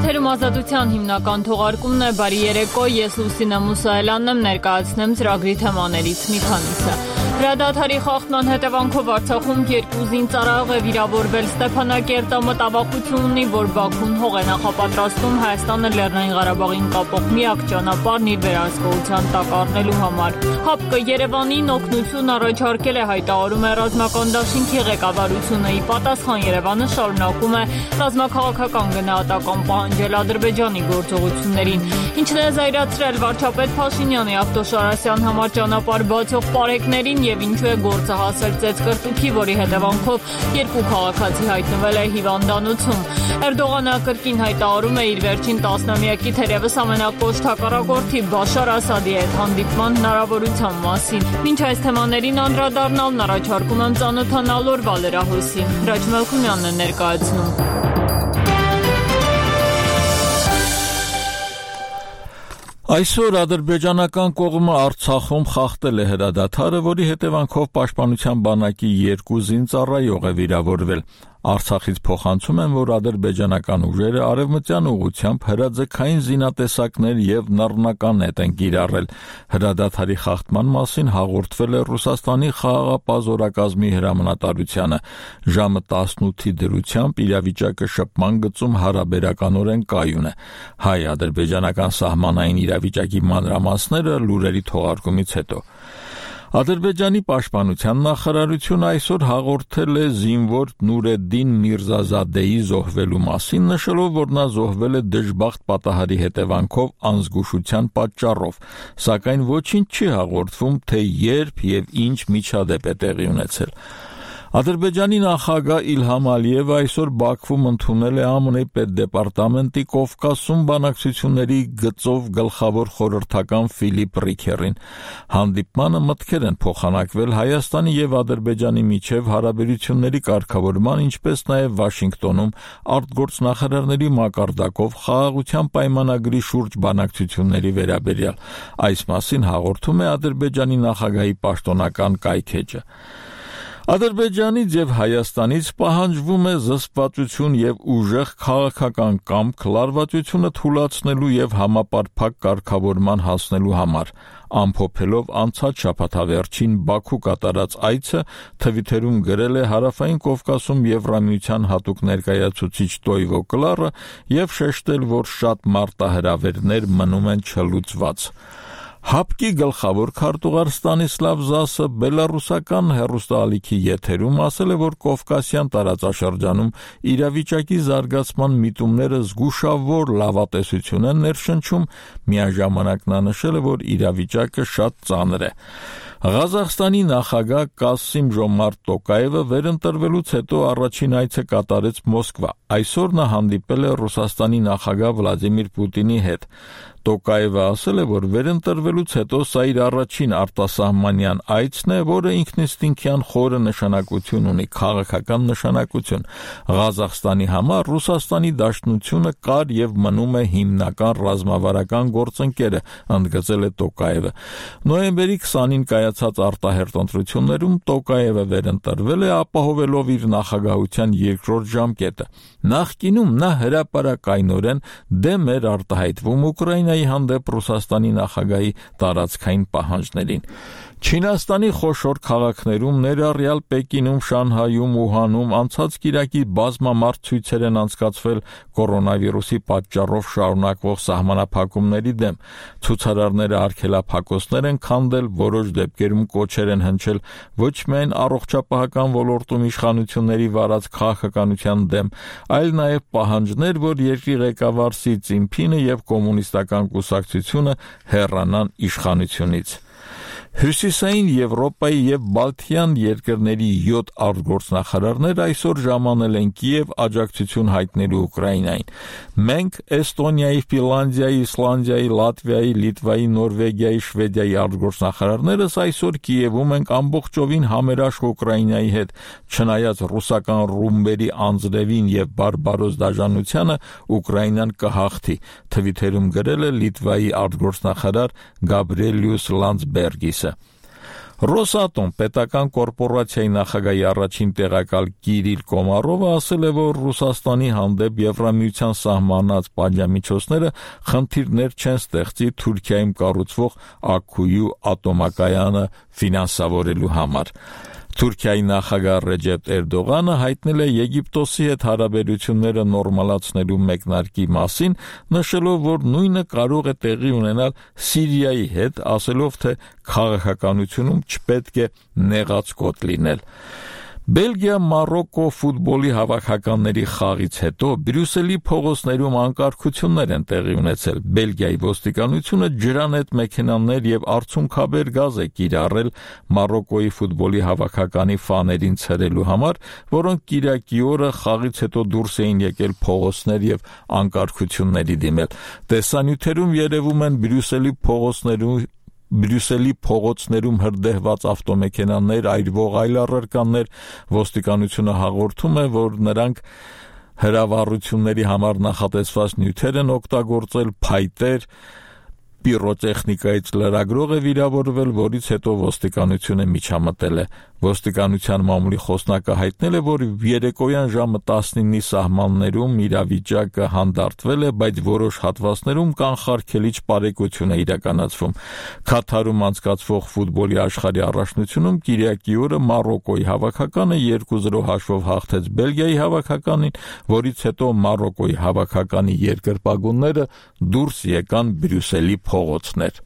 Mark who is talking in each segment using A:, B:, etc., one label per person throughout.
A: Եթերում ազատության հիմնական թողարկումն է, բարի երեկո, ես Լուսինե Մուսայելյանն եմ, ներկայացնեմ ծրագրի թեմաներից մի քանիսը։ Հրադադարի խախտման հետևանքով Արցախում 2 զինծառայող է վիրավորվել։ Ստեփանակերտը մտավախություն ունի, որ Բաքուն հող է նախապատրաստում Հայաստանը Լեռնային Ղարաբաղին կապող միակ ճանապարհն իր վերահսկողության տակ առնելու համար։ ՀԱՊԿ Երևանին օգնություն առաջարկել է, հայտարարում է ռազմական դաշինքի ղեկավարությունը։ Ի պատասխան Երևանը շարունակում է ռազմաքաղաքական գնահատական պահանջել Ադրբեջանի գործողություններին, ինչն է զայրացրել վարչապետ Փաշինյանի Ավտոշարասյան համար ճանապարհ բացող պարեկներին եւ ինչու է գործը հասել ծեծկրտուքի, որի հետևանքով 2 քաղաքացի հայտնվել է հիվանդանոցում։ Էրդողանը կրկին հայտարարում է իր վերջին տասնամյակի թերևս ամենակոշտ հակառակորդի Բաշար Ասադի հետ հանդիպման հնարավորության մասին։ Մինչ այս թեմաներին անդրադառնալն առաջարկում եմ ծանոթանալ օրվա լրահոսին։ Հրաչ Մելքումյանն է ներկայացնում։
B: Այսօր ադրբեջանական կողմը Արցախում խախտել է հրադադարը, որի հետևանքով պաշտպանության բանակի 2 զինծառայող է վիրավորվել։ Արցախից փոխանցում են, որ ադրբեջանական ուժերը արևմտյան ուղղությամբ հրաձգային զինատեսակներ եւ նռնականետ են կիրառել։ Հրադադարի խախտման մասին հաղորդվել է Ռուսաստանի խաղաղապահ զորակազմի հրամանատարությանը։ Ժամը 18-ի դրությամբ իրավիճակը շփման գծում հարաբերականորեն կայուն է։ Հայ-ադրբեջանական սահմանային իրավիճակի մանրամասները լուրերի թողարկումից հետո։ Ադրբեջանի պաշտպանության նախարարությունը այսօր հաղորդել է զինվոր Նուրեդդին Միրզազադեի զոհվելու մասին, նշելով, որ նա զոհվել է դժբախտ պատահարի հետևանքով անզգուշության պատճառով, սակայն ոչինչ չի հաղորդվում, թե երբ եւ ինչ միջադեպ է տեղի ունեցել։ Ադրբեջանի նախագահ Իլհամ Ալիևը այսօր Բաքվում ընդունել է ԱՄՆ պետդեպարտամենտի Կովկասում բանակցությունների գծով գլխավոր խորհրդական Ֆիլիպ Ռիքերին։ Հանդիպմանը մտքեր են փոխանակվել Հայաստանի եւ Ադրբեջանի միջև հարաբերությունների կարգավորման, ինչպես նաեւ Վաշինգտոնում արտգործնախարարների մակարդակով խաղաղության պայմանագրի շուրջ բանակցությունների վերաբերյալ։ Այս մասին հաղորդում է Ադրբեջանի նախագահի պաշտոնական կայքէջը։ Ադրբեջանից եւ Հայաստանից պահանջվում է զսպվածություն եւ ուժեղ քաղաքական կամք լարվածությունը թուլացնելու եւ համապարփակ կարգավորման հասնելու համար։ Ամփոփելով անցած շաբաթավերջին Բաքու կատարած այցը, Թվիտերում գրել է Հարավային Կովկասում Եվրամիության հատուկ ներկայացուցիչ Տոյվո Կլարը եւ շեշտել, որ շատ մարտահրավերներ մնում են չլուծված։ ՀԱՊԿ-ի գլխավոր քարտուղար Ստանիսլավ Զասը բելարուսական հեռուստաալիքի եթերում ասել է, որ Կովկասյան տարածաշրջանում իրավիճակի զարգացման միտումները զգուշավոր լավատեսություն են ներշնչում, միաժամանակ նա նշել է, որ իրավիճակը շատ ծանր է։ Ղազախստանի նախագահ Կասիմ Ժոմարտ Տոկաևը վերընտրվելուց հետո առաջին այցը կատարեց Մոսկվա։ Այսօր նա հանդիպել է Ռուսաստանի նախագահ Վլադիմիր Պուտինի հետ։ Տոկաևը ասել է, որ վերընտրվելուց հետո սա իր առաջին արտասահմանյան այցն է, որը ինքնիստինքյան խորը նշանակություն ունի, քաղաքական նշանակություն։ Ղազախստանի համար Ռուսաստանի Դաշնությունը կար եւ մնում է հիմնական ռազմավարական գործընկերը, ընդգծել է Տոկաևը։ Նոյեմբերի 20-ին կայացած արտահերթ ընտրություններում Տոկաևը վերընտրվել է, ապահովելով իր նախագահության երկրորդ ժամկետը։ Նախկինում նա հրապարակայնորեն դեմ էր արտահայտվում Ուկրաինայի հանդեպ Ռուսաստանի նախագահի տարածքային պահանջներին։ Չինաստանի խոշոր քաղաքներում, ներառյալ Պեկինում, Շանհայում, Ուհանում անցած կիրակի բազմամարդ ցույցեր են անցկացվել կորոնավիրուսի պատճառով շարունակվող սահմանափակումների դեմ։ Ցուցարարները արգելափակոցներ են քանդել, որոշ դեպքերում կոչեր են հնչել ոչ միայն առողջապահական ոլորտում իշխանությունների վարած քաղաքականության դեմ, այլ նաև պահանջներ, որ երկրի ղեկավար Սի Ցինփինը եւ կոմունիստական կուսակցությունը հեռանան իշխանությունից։ Հյուսիսային Եվրոպայի եւ Բալթյան երկրների 7 արտգործնախարարներ այսօր ժամանել են Կիև աջակցություն հայտնելու Ուկրաինային։ Մենք Էստոնիայի, Ֆինլանդիայի, Իսլանդիայի, Լատվիայի, Լիտվայի, Նորվեգիայի, Շվեդիայի արտգործնախարարներս այսօր Կիևում ենք ամբողջովին համերաշխ Ուկրաինայի հետ, չնայած ռուսական ռումբերի անձրևին եւ բարբարոս դաժանությանը Ուկրաինան կհաղթի, Թվիտերում գրել է Լիտվայի արտգործնախարար Գաբրիելյուս Լանdsբերգիսը։ Ռոսատոմ պետական կորպորացիայի նախագահի առաջին տեղակալ Կիրիլ Կոմարովը ասել է, որ Ռուսաստանի հանդեպ Եվրամիության սահմանած պատժամիջոցները խնդիրներ չեն ստեղծի Թուրքիայում կառուցվող Աքքույու ատոմակայանը ֆինանսավորելու համար։ Թուրքիայի նախագահ Ռեջեփ Էրդողանը հայտնել է Եգիպտոսի հետ հարաբերությունները նորմալացնելու մեկնարկի մասին, նշելով, որ նույնը կարող է տեղի ունենալ Սիրիայի հետ, ասելով, թե քաղաքականությունում չպետք է նեղաց կոտ լինել։ Բելգիա-Մարոկկո ֆուտբոլի հավաքականների խաղից հետո Բրյուսելի փողոցներում անկարգություններ են տեղի ունեցել։ Բելգիայի ոստիկանությունը ջրանետ մեքենաներ եւ արցունքաբեր գազ է կիրառել Մարոկկոյի ֆուտբոլի հավաքականի ֆաներին ցրելու համար, որոնք կիրակի օրը խաղից հետո դուրս էին եկել փողոցներ եւ անկարգությունների դիմել։ Տեսանյութերում երևում են Բրյուսելի փողոցներում հրդեհված ավտոմեքենաներ, այրվող այլ առարկաներ, ոստիկանությունը հաղորդում է, որ նրանք հրավառությունների համար նախատեսված նյութեր են օգտագործել, փայտեր, պիրոտեխնիկայից լրագրող է վիրավորվել, որից հետո ոստիկանությունը միջամտել է։ Ոստիկանության մամուլի խոսնակը հայտնել է, որ երեկոյան ժամը 19-ի սահմաններում իրավիճակը հանդարտվել է, բայց որոշ հատվածներում կանխարգելիչ պարեկություն է իրականացվում։ Քաթարում անցկացվող ֆուտբոլի աշխարհի առաջնությունում կիրակի օրը Մարոկկոյի հավաքականը 2-0 հաշվով հաղթեց Բելգիայի հավաքականին, որից հետո Մարոկկոյի հավաքականի երկրպագունները դուրս եկան Բրյուսելի փողոցներ։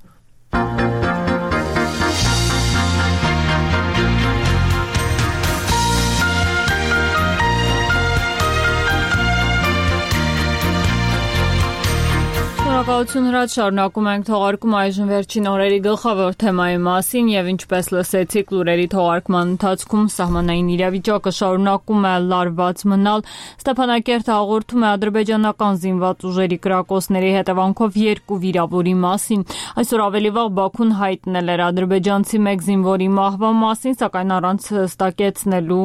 A: Շնորհակալություն Հրաչ, շարունակում ենք թողարկում այժմ վերջին օրերի գլխավոր թեմայի մասին եւ ինչպես լսեցիք լուրերի թողարկման ընթացքում սահմանային իրավիճակը շարունակում է լարված մնալ։ Ստեփանակերտը հաղորդում է ադրբեջանական զինված ուժերի կրակոցների հետևանքով 2 վիրավորի մասին։ Այսօր ավելի վաղ Բաքուն հայտնել էր ադրբեջանցի 1 զինվորի մահվան մասին, սակայն առանց հստակեցնելու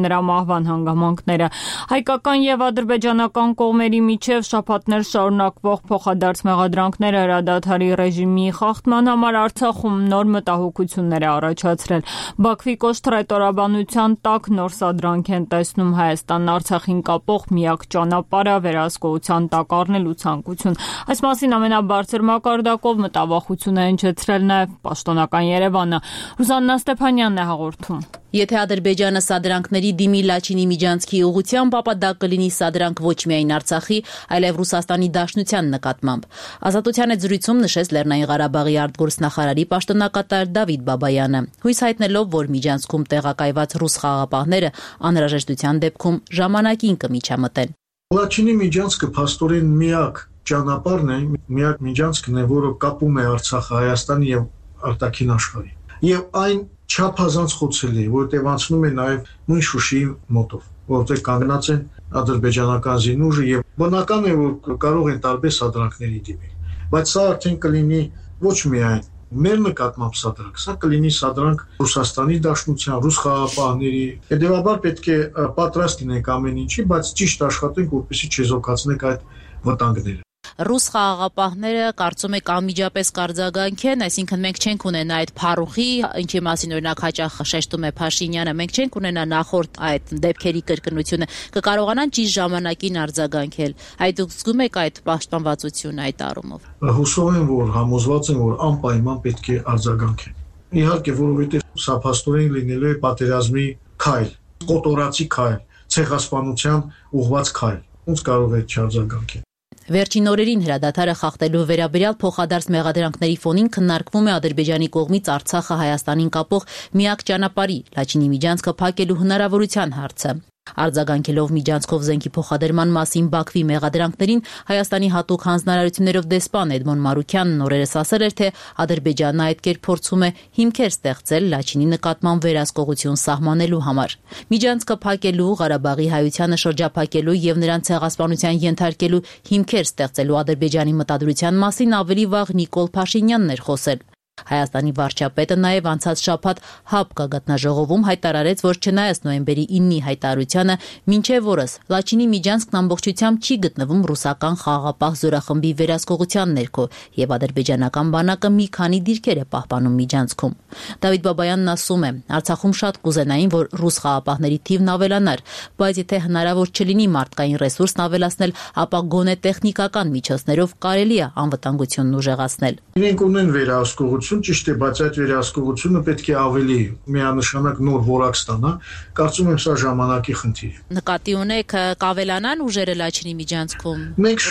A: նրա մահվան հանգամանքները։ Հայկական եւ ադրբեջանական կողմերի միջև շաբաթներ շարունակվող փոխադարձ մեղադրանքները հրադադարի ռեժիմի խախտման համար Արցախում նոր մտահոգություններ է առաջացրել։ Բաքվի կոշտ-ռետորաբանության տակ նոր սադրանք են տեսնում Հայաստանն Արցախին կապող միակ ճանապարհը վերահսկողության տակ առնելու ցանկություն։ Այս մասին ամենաբարձր մակարդակով մտավախություն է հնչեցրել նաև պաշտոնական Երևանը։ Ռուզաննա Ստեփանյանն է հաղորդում։
C: Եթե Ադրբեջանը սադրանքների դիմի Լաչինի Միջանցքի ուղղությամբ, ապա դա կլինի սադրանք ոչ միայն Արցախի, այլև Ռուսաստանի Դաշնության նկատմամբ։ Ազատության հետ զրույցում նշեց Լեռնային Ղարաբաղի արտգործնախարարի պաշտոնակատար Դավիթ Բաբայանը, հույս հայտնելով, որ Միջանցքում տեղակայված ռուս խաղաղապահները անհրաժեշտության դեպքում ժամանակին կմիջամտեն։
D: Լաչինի Միջանցքը փաստորեն միակ ճանապարհն է, միակ Միջանցքն է, որը կապում է Արցախը Հայաստանի եւ արտաքին աշխարհի։ Եվ այն չափազանց խոցելի է, որտեղ անցնում է նաև նույն Շուշիի մոտով, որտեղ կանգնած են ադրբեջանական զինուժը եւ բնական է, որ կարող են տարբեր սադրանքների դիմել։ Բայց սա արդեն կլինի ոչ միայն մեր նկատմամբ սադրանք, սա կլինի սադրանք Ռուսաստանի Դաշնության, ռուս խաղաղապահների։ Հետևաբար պետք է պատրաստ լինենք ամեն ինչի, բայց ճիշտ աշխատենք, որպեսզի չեզոքացնենք այդ վտանգները։
C: Ռուս խաղաղապահները կարծում եք անմիջապես կարձագանք են, այսինքն մենք չենք ունենա այդ փառուխի, ինչի մասին օրինակ հաճախ շեշտում է Փաշինյանը, մենք չենք ունենա նախորդ այդ դեպքերի կրկնությունը, կկարողանան ճիշտ ժամանակին արձագանքել։ Այդ դուք զգում եք այդ պաշտպանվածությունը այդ առումով։
D: Հուսով եմ, որ համոզված եմ, որ անպայման պետք է արձագանքեն։ Իհարկե, որովհետև սա փաստորեն լինելու է պատերազմի քայլ, կոտորածի քայլ, ցեղասպանության ուղղված քայլ։ Ոնց կարող է չարձագանքել։
C: Վերջին օրերին հրադադարը խախտելու վերաբերյալ փոխադարձ մեղադրանքների ֆոնին քննարկվում է Ադրբեջանի կողմից Արցախը Հայաստանին կապող միակ ճանապարհի Լաչինի Միջանցքը փակելու հնարավորության հարցը։ Արձագանքելով Միջանցքով զենքի փոխադրման մասին Բաքվի մեղադրանքներին Հայաստանի հատուկ հանձնարարություններով դեսպան Էդմոն Մարուքյանն օրերս ասել էր, թե Ադրբեջանն այդ կերպ փորձում է հիմքեր ստեղծել Լաչինի նկատմամբ վերահսկողություն սահմանելու համար։ Միջանցքը փակելու, Ղարաբաղի հայությանը շրջափակելու եւ նրան ցեղասպանության ենթարկելու հիմքեր ստեղծելու Ադրբեջանի մտադրության մասին ավելի վաղ Նիկոլ Փաշինյանն էր խոսել։ Հայաստանի վարչապետը նաև անցած շաբաթ ՀԱՊԿ գաղտնաժողովում հայտարարեց, որ չնայած նոյեմբերի 9-ի հայտարարությանը, մինչև օրս Լաչինի Միջանցքն ամբողջությամբ չի գտնվում ռուսական խաղաղապահ զորախմբի վերահսկողության ներքո, եւ ադրբեջանական բանակը մի քանի դիրքեր է պահպանում Միջանցքում։ Դավիթ Բաբայանն ասում է, Արցախում շատ կուզենային, որ ռուս խաղապահների թիվն ավելանար, բայց եթե հնարավոր չլինի մարդկային ռեսուրսն ավելացնել, ապա գոնե տեխնիկական միջոցներով կարելի է անվտանգությունն ուժեղացնել։
D: Իրենք ունեն վերահսկողություն, ճիշտ է, բայց այդ վերահսկողությունը պետք է ավելի միանշանակ նոր որակ ստանա։ Կարծում եմ սա ժամանակի խնդիր է։
C: Նկատի ունեք կավելանան ուժերը Լաչինի Միջանցքում։
D: Մենք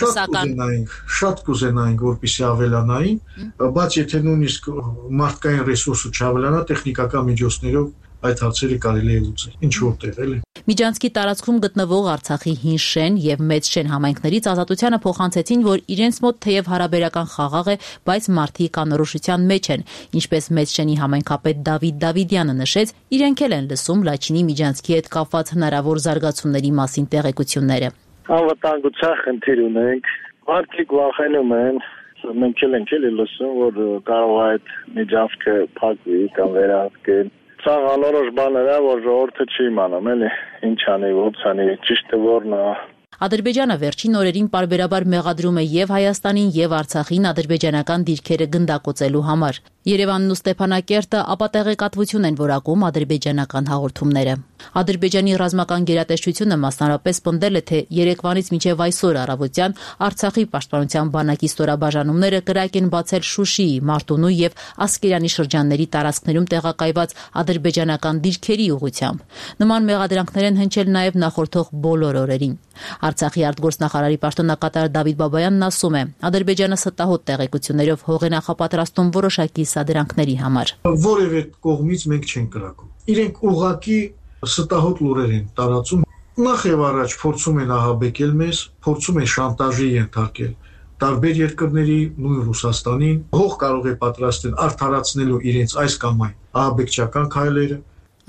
D: շատ կուզենայինք, որպեսզի ավելանային, բայց եթե նույնիսկ մարդկային ռեսուրսը չավելանա, տեխնիկական միջոցներով այդ հարցերը կարելի է լուծել։ Ինչ որտեղ էլի։
C: Միջանցքի տարածքում գտնվող Արցախի հին շեն եւ մեծ շեն համայնքներից Ազատությանը փոխանցեցին, որ իրենց մոտ թեև հարաբերական խաղաղ է, բայց մարդիկ անորոշության մեջ են, ինչպես մեծ շենի համայնքապետ Դավիթ Դավիդյանը նշեց, իրենք էլ են լսում Լաչինի Միջանցքի հետ կապված հնարավոր զարգացումների մասին տեղեկությունները։
E: Անվտանգության խնդիր ունենք, մարդիկ վախենում են, մենք էլ ենք լսում, որ կարող է այդ միջանցքը փակվի կամ վերահսկեն։ Սա անորոշ բաներ է, որ ժողովուրդը չի իմանում, էլի, ինչ անի, ոնց անի, ճիշտը որն է։
C: Ադրբեջանը վերջին օրերին պարբերաբար մեղադրում է եւ Հայաստանին եւ Արցախին ադրբեջանական դիրքերը գնդակոծելու համար։ Երևանն ու Ստեփանակերտը ապատեղեկատվություն են որակում ադրբեջանական հաղորդումները։ Ադրբեջանի ռազմական գերատեսչությունը մասնարարպես պնդել է, թե երեկվանից մինչև այսօր առավոտյան Արցախի պաշտպանության բանակի ստորաբաժանումները կրակ են բացել Շուշիի, Մարտունու եւ Ասկերանի շրջանների տարածքներում տեղակայված ադրբեջանական դիրքերի ուղղությամբ։ Նման մեղադրանքներ են հնչել նաեւ նախորդող բոլոր օրերին։ Արցախի արտգործնախարարի պաշտոնակատար Դավիթ Բաբայանն ասում է, Ադրբեջանը ստահոդ տեղեկություններով հող է նախապատրաստում որոշակի սադրանքների համար։
D: Որևէ կողմից մենք չենք կրակում։ Իրենք ուղղակի ստահոդ լուրեր են տարածում։ Նախ եւ առաջ փորձում են ահաբեկել մեզ, փորձում են շանտաժի ենթարկել տարբեր երկրների, նույն Ռուսաստանին, հող կարող է պատրաստել արդարացնելու իրենց այս կամ այն ահաբեկչական քայլերը։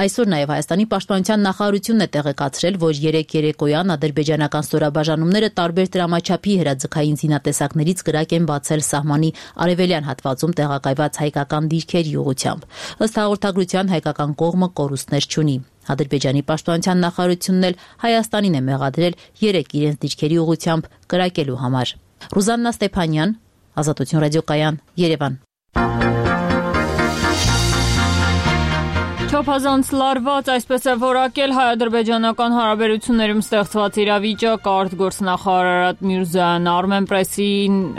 C: Այսօր նաև Հայաստանի պաշտպանության նախարարությունն է տեղեկացրել, որ երեկոյան ադրբեջանական ստորաբաժանումները տարբեր տրամաչափի հրաձգային զինատեսակներից կրակ են բացել սահմանի արևելյան հատվածում տեղակայված հայկական դիրքերի ուղղությամբ։ Ըստ հաղորդագրության հայկական կողմը կորուստներ չունի։ Ադրբեջանի պաշտպանության նախարարությունն էլ Հայաստանին է մեղադրել 3 իրենց դիրքերի ուղղությամբ կրակելու համար։ Ռուզաննա Ստեփանյան, Ազատություն ռադիոկայան, Երևան։
A: Չափազանց լարված, այսպես է որակել հայ-ադրբեջանական հարաբերություններում ստեղծված իրավիճակը արտգործնախարար Արարատ Միրզոյան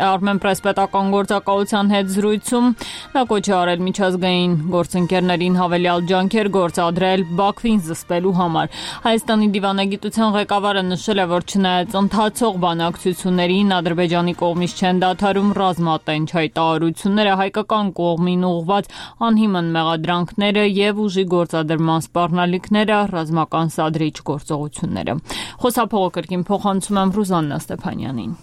A: Armenpress պետական գործակալության հետ զրույցում նա կոչ է արել միջազգային գործընկերներին հավելյալ ջանքեր գործադրել Բաքվին զսպելու համար։ Հայաստանի դիվանագիտության ղեկավարը նշել է, որ չնայած ընթացող բանակցություններին Ադրբեջանի կողմից չեն դադարում ռազմատենչ հայտարարությունները, հայկական կողմին ուղղված անհիմն մեղադրանքները եւ ուժի գործադրման սպառնալիքները, ռազմական սադրիչ գործողությունները։ Խոսափողը կրկին փոխանցում եմ Ռուզաննա Ստեփանյանին։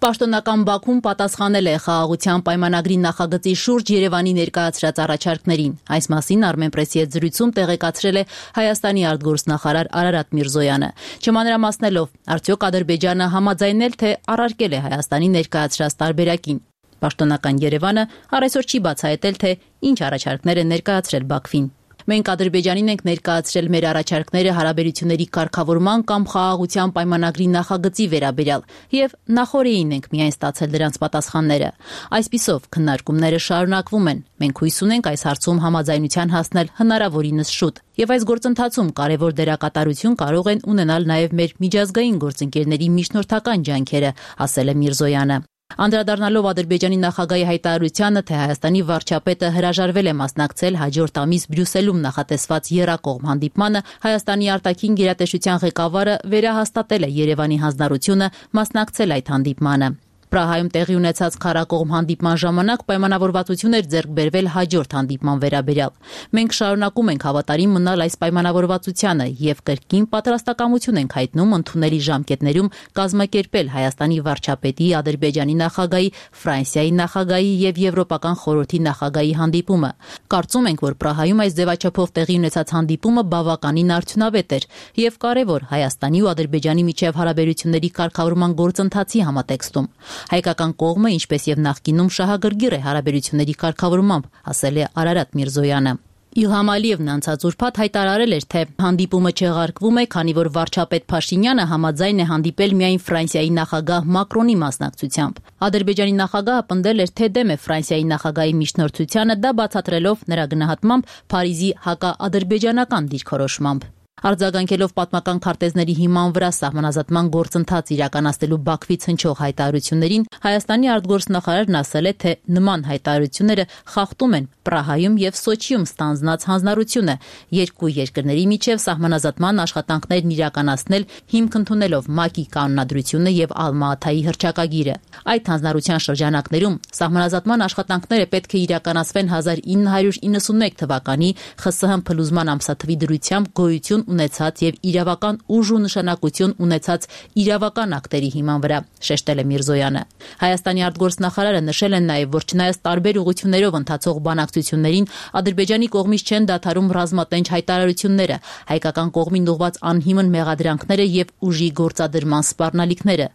C: Պաշտոնական Բաքուն պատասխանել է խաղաղության պայմանագրի նախագծի շուրջ Երևանի ներկայացրած առաջարկներին։ Այս մասին Armenpress-ի հետ զրույցում տեղեկացրել է Հայաստանի արտգործնախարար Արարատ Միրզոյանը։ Չմանրամասնելով, արդյոք Ադրբեջանը համաձայնել թե առարկել է Հայաստանի ներկայացրած տարբերակին։ Պաշտոնական Երևանը առայսօր չի բացահայտել, թե ինչ առաջարկներ է ներկայացրել Բաքվին։ Մենք Ադրբեջանին ենք ներկայացրել մեր առաջարկները հարաբերությունների կարգավորման կամ խաղաղության պայմանագրի նախագծի վերաբերյալ եւ նախորդին ենք միայն ստացել դրանց պատասխանները։ Այսպիսով քննարկումները շարունակվում են։ Մենք հույս ունենք այս հարցում համաձայնության հասնել հնարավորինս շուտ։ Եվ այս գործընթացում կարևոր դերակատարություն կարող են ունենալ նաեւ մեր միջազգային գործընկերների միջնորդական ջանքերը, ասել է Միրզոյանը։ Անդրադառնալով Ադրբեջանի նախագահի հայտարարությանը, թե Հայաստանի վարչապետը հրաժարվել է մասնակցել հաջորդ ամիս Բրյուսելում նախատեսված եռակողմ հանդիպմանը, Հայաստանի արտաքին գերատեսչության ղեկավարը վերահաստատել է Երևանի հանձնառությունը մասնակցել այդ հանդիպմանը։ Պրահայում տեղի ունեցած քառակողմ հանդիպման ժամանակ պայմանավորվածություն էր ձեռք բերվել հաջորդ հանդիպման վերաբերյալ։ Մենք շարունակում ենք հավատարիմ մնալ այս պայմանավորվածությանը եւ կրկին պատրաստակամություն ենք հայտնում ընդունելի ժամկետներում կազմակերպել Հայաստանի վարչապետի, Ադրբեջանի նախագահի, Ֆրանսիայի նախագահի եւ Եվրոպական խորհրդի նախագահի հանդիպումը։ Կարծում ենք, որ Պրահայում այս ձևաչափով տեղի ունեցած հանդիպումը բավականին արդյունավետ էր եւ կարեւոր Հայաստանի ու Ադրբեջանի միջև հարաբերությունների կարգավորման գործընթացի համատեքստում։ Հայկական կողմը, ինչպես եւ նախկինում, շահագրգիռ է հարաբերությունների կարգավորմամբ, ասել է Արարատ Միրզոյանը։ Իլհամ Ալիևն անցած ուրբաթ հայտարարել էր, թե հանդիպումը չեղարկվում է, քանի որ վարչապետ Փաշինյանը համաձայն է հանդիպել միայն Ֆրանսիայի նախագահ Մակրոնի մասնակցությամբ։ Ադրբեջանի նախագահը պնդել էր, թե դեմ է Ֆրանսիայի նախագահի միջնորդությանը, դա բացատրելով նրա գնահատմամբ Փարիզի հակաադրբեջանական դիրքորոշմամբ։ Արձագանքելով պատմական քարտեզների հիման վրա սահմանազատման գործընթաց իրականացնելու Բաքվից հնչող հայտարարություններին, Հայաստանի արտգործնախարարն ասել է, թե նման հայտարարությունները խախտում են Պրահայում եւ Սոչիում ստանձնած հանձնառությունը երկու երկրների միջև սահմանազատման աշխատանքներն իրականացնել հիմք ընդունելով ՄԱԿ-ի կանոնադրությունը եւ Ալմա-Աթայի հռչակագիրը։ Այդ հանձնառության շրջանակներում սահմանազատման աշխատանքները պետք է իրականացվեն 1991 թվականի ԽՍՀՄ փլուզման ամսաթվի դրությամբ գոյություն ունեցած եւ իրավական ուժ ու նշանակություն ունեցած իրավական ակտերի հիման վրա, շեշտել է Միրզոյանը։ Հայաստանի արտգործնախարարը նշել է նաեւ, որ չնայած տարբեր ուղղություններով ընթացող բանակցություններին Ադրբեջանի կողմից չեն դադարում ռազմատենչ հայտարարությունները, հայկական կողմին ուղղված անհիմն մեղադրանքները եւ ուժի գործադրման սպառնալիքները։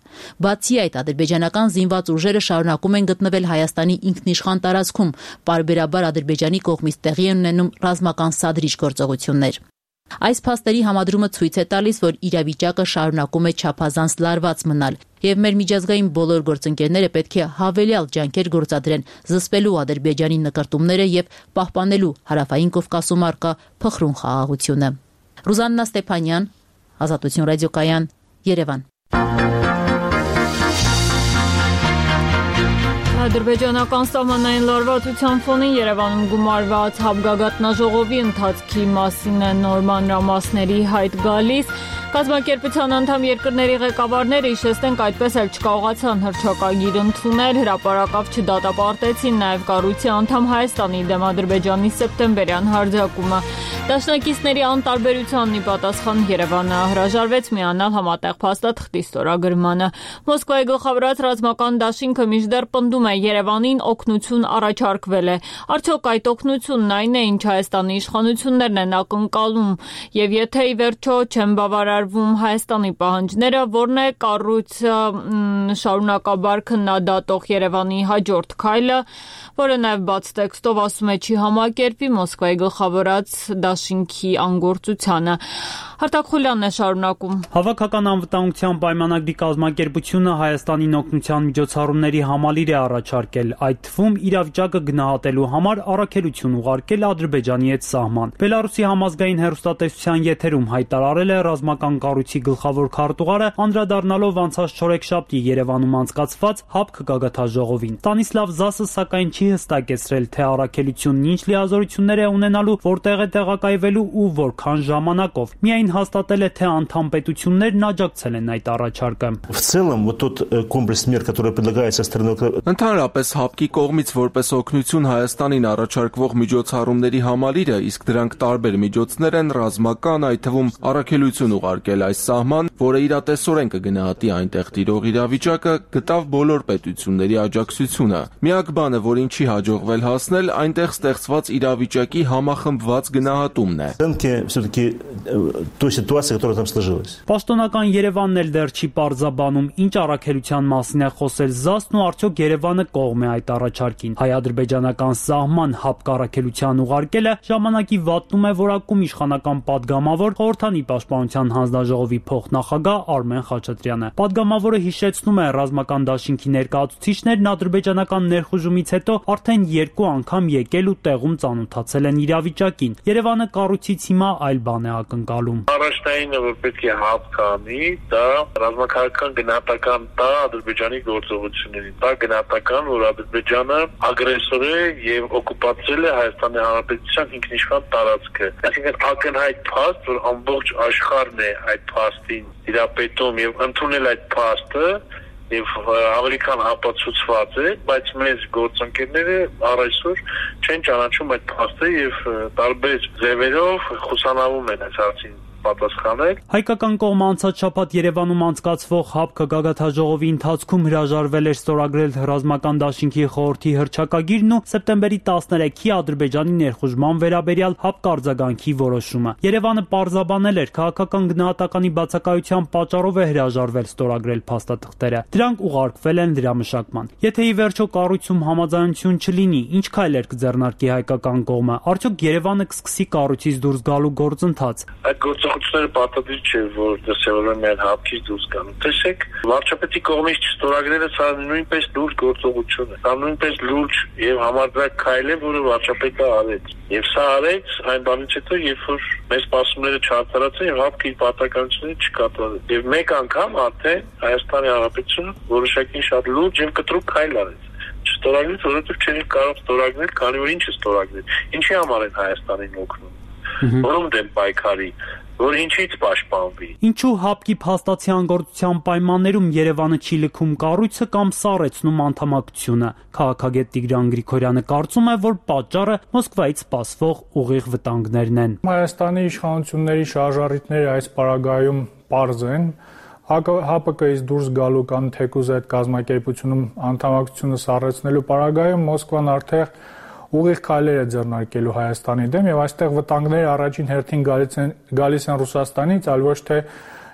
C: Բացի այդ, ադրբեջանական զինված ուժերը շարունակում են գտնվել Հայաստանի ինքնիշխան տարածքում, պարբերաբար Ադրբեջանի կողմից տեղի են ունենում ռազմական սադրիչ գործողություններ։ Այս փաստերի համադրումը ցույց է տալիս, որ իրավիճակը շարունակում է չափազանց լարված մնալ, եւ մեր միջազգային բոլոր գործընկերները պետք է հավելյալ ջանքեր գործադրեն զսպելու Ադրբեջանի նկարտումները եւ պահպանելու Հարավային Կովկասում առկա փխրուն խաղաղությունը։ Ռուզաննա Ստեփանյան, Ազատություն ռադիոկայան, Երևան։
A: Ադրբեջանական սահմանային լարվածության ֆոնին Երևանում գումարված հապգագաթնաժողովի ընթացքի մասին է նոր մանրամասների հայտ գալիս։ Կազմակերպության անդամ երկրների ղեկավարները հիշեցնենք այդպես էլ չկարողացան հռչակագիր ընդունել, հրապարակավ չդատապարտեցին նաև կառույցի անդամ Հայաստանի դեմ Ադրբեջանի սեպտեմբերյան հարձակումը։ Դաշնակիցների անտարբերությանն ի պատասխան Երևանը հրաժարվեց միանալ համատեղ փաստաթղթի ստորագրմանը։ Մոսկվայի գլխավորած ռազմական դաշինքը մինչդեռ պնդում է Երևանին օգնություն առաջարկվել է։ Արդյոք այդ օգնությունն այն է, ինչ Հայաստանի իշխանություններն են ակնկալում, եւ եթե ի վերջո չեն բավարարվում Հայաստանի պահանջները, որն է կառույցը շարունակաբար քննադատող Երևանի հաջորդ քայլը, որը նաև բաց տեքստով ասում է չի համակերպի Մոսկվայի գլխավորած դաշինքի անգործությանը։ Հարտակ Խուլյանն է շարունակում։
F: Հավաքական անվտանգության պայմանագրի կազմակերպությունը Հայաստանին օգնության միջոցառումների համալիր է առաջարկել, այդ թվում իրավիճակը գնահատելու համար առաքելություն ուղարկել Ադրբեջանի հետ սահման։ Բելարուսի համազգային հեռուստատեսության եթերում հայտարարել է ռազմական կառույցի գլխավոր քարտուղարը, անդրադառնալով անցած չորեքշաբթի Երևանում անցկացված ՀԱՊԿ գագաթնաժողովին։ Ստանիսլավ Զասը սակայն չի հստակեցրել, թե առաքելությունն ինչ լիազորություններ է ունենալու, որտեղ է տեղակայվելու ու որքան ժամանակով։ Միայն հաստատել է, թե անդամ պետություններն աջակցել են այդ առաջարկը։
G: Ընդհանրապես ՀԱՊԿ-ի կողմից որպես օգնություն Հայաստանին առաջարկվող միջոցառումների համալիրը, իսկ դրանք տարբեր միջոցներ են ռազմական, այդ թվում առաքելություն ուղարկել այս սահման, որը իրատեսորեն կգնահատի այնտեղ տիրող իրավիճակը, գտավ բոլոր պետությունների աջակցությունը։ Միակ բանը, որին չի հաջողվել հասնել, այնտեղ ստեղծված իրավիճակի համախմբված գնահատումն է։
F: Պաշտոնական Երևանն էլ դեռ չի պարզաբանում, ինչ առաքելության մասին է խոսել Զասն ու արդյոք Երևանը կողմ է այդ առաջարկին։ Հայ-ադրբեջանական սահման ՀԱՊԿ առաքելության ուղարկելը ժամանակի վատնում է որակում իշխանական падգամավոր Խորհրդանի պաշտպանության հանձնաժողովի փոխնախագահ Արմեն Խաչատրյանը։ Падգամավորը հիշեցնում է, ռազմական դաշինքի ներկայացուցիչներն ադրբեջանական ներխուժումից հետո արդեն 2 անգամ եկել ու տեղում ծանոթացել են իրավիճակին։ Երևանը կառույցից հիմա այլ բան է ակնկալում։
E: Առաջնայինը, որ պետք է ՀԱՊԿ անի, դա ռազմաքաղաքական գնահատական տա Ադրբեջանի գործողություններին, դա գնահատական, որ Ադրբեջանը ագրեսոր է եւ օկուպացրել է Հայաստանի Հանրապետության ինքնիշխան տարածքը։ Այսինքն ակնհայտ փաստ, որ ամբողջ աշխարհն է այդ փաստին իրապետում եւ ընդունել այդ փաստը եւ ավելի քան ապացուցված է, բայց մեծ գործընկերները առայսօր չեն ճանաչում այդ փաստը եւ տարբեր ձևերով խուսանավում են այս հարցին պատասխանել։
F: Հայկական կողմը անցած շաբաթ Երևանում անցկացվող ՀԱՊԿ գագաթնաժողովի ընթացքում հրաժարվել էր ստորագրել ռազմական դաշինքի խորհրդի հռչակագիրն ու սեպտեմբերի 13-ի Ադրբեջանի ներխուժման վերաբերյալ ՀԱՊԿ արձագանքի որոշումը։ Երևանը պարզաբանել էր, քաղաքական գնահատականի բացակայության պատճառով է հրաժարվել ստորագրել փաստաթղթերը։ Դրանք ուղարկվել են լրամշակման։ Եթե ի վերջո կառույցում համաձայնություն չլինի, ինչ քայլեր կձեռնարկի հայկական կողմը։ Արդյոք Երևանը կսկսի կառույցից դուրս գալու գործընթաց։
E: Այդ գործողությունները պատահական չէ, որ դասավորում են ՀԱՊԿ-ից դուրս գան։ Տեսեք, վարչապետի կողմից չստորագրելը սա նույնպես լուրջ գործողություն է։ Սա նույնպես լուրջ եւ համարձակ քայլ է, որը վարչապետը արեց։ Եվ սա արեց այն բանից հետո, երբ որ մեր սպասումները չարդարացան եւ ՀԱՊԿ-ի պատասխանատվությունը չկատարեց։ Եվ մեկ անգամ արդեն Հայաստանի Հանրապետությունը որոշակի շատ լուրջ եւ կտրուկ քայլ արեց։ Չստորագրեց, որովհետեւ չէր կարող ստորագրել, քանի որ ինչը ստորագրել։ Ինչի համար են Հայաստանին օգնում։ Որում դեմ պայքարի, որ ինչից պաշտպանվի։
F: Ինչու ՀԱՊԿ-ի փաստացի անգործության պայմաններում Երևանը չի լքում կառույցը կամ սառեցնում անդամակցությունը։ Քաղաքագետ Տիգրան Գրիգորյանը կարծում է, որ պատճառը Մոսկվայից սպասվող ուղիղ վտանգներն են։
H: Հայաստանի իշխանությունների շարժառիթները այս պարագայում պարզ են։ ՀԱՊԿ-ից դուրս գալու կամ թեկուզ այդ կազմակերպությունում անդամակցությունը սառեցնելու պարագայում Մոսկվան արդեն ուղիղ քայլեր է ձեռնարկելու Հայաստանի դեմ եւ այստեղ վտանգները առաջին հերթին գալիս են Ռուսաստանից, այլ ոչ թե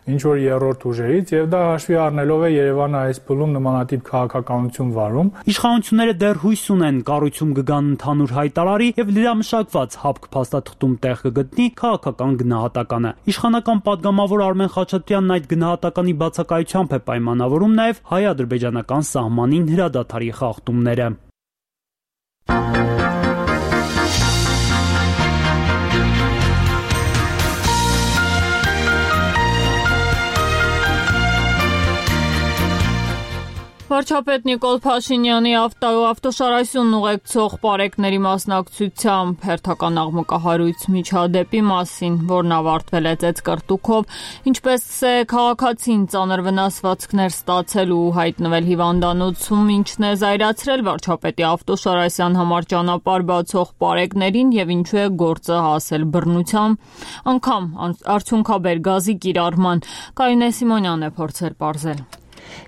H: ինչ որ երրորդ ուժերից եւ դա հաշվի առնելով է Երևանը այս փուլում նմանատիպ քաղաքականություն վարում։
F: Իշխանությունները դեռ հույս ունեն կառույցում կգան ընդհանուր հայտարարի եւ լրամշակված ՀԱՊԿ փաստաթղթում տեղ կգտնի քաղաքական գնահատականը։ Իշխանական падգամավոր Արմեն Խաչատրյանն այդ գնահատականի բացակայությամբ է պայմանավորում նաեւ հայ-ադրբեջանական սահմանին հրադադարի խախտումները։
A: Վարչապետ Նիկոլ Փաշինյանի ավտոշարասյունն ուղեկցող պարեկների մասնակցությամբ հերթական աղմկահարույց միջադեպի մասին, որն ավարտվել է ծեծկռտուքով, ինչպես է քաղաքացին ծանր վնասվածքներ ստացել ու հայտնվել հիվանդանոցում, ինչն է զայրացրել վարչապետի ավտոշարասյան համար ճանապարհ բացող պարեկներին եւ ինչու է գործը հասել բռնության, անգամ արդյունքաբեր գազի կիրառման։ Կարինե Սիմոնյանն է փորձել պարզել։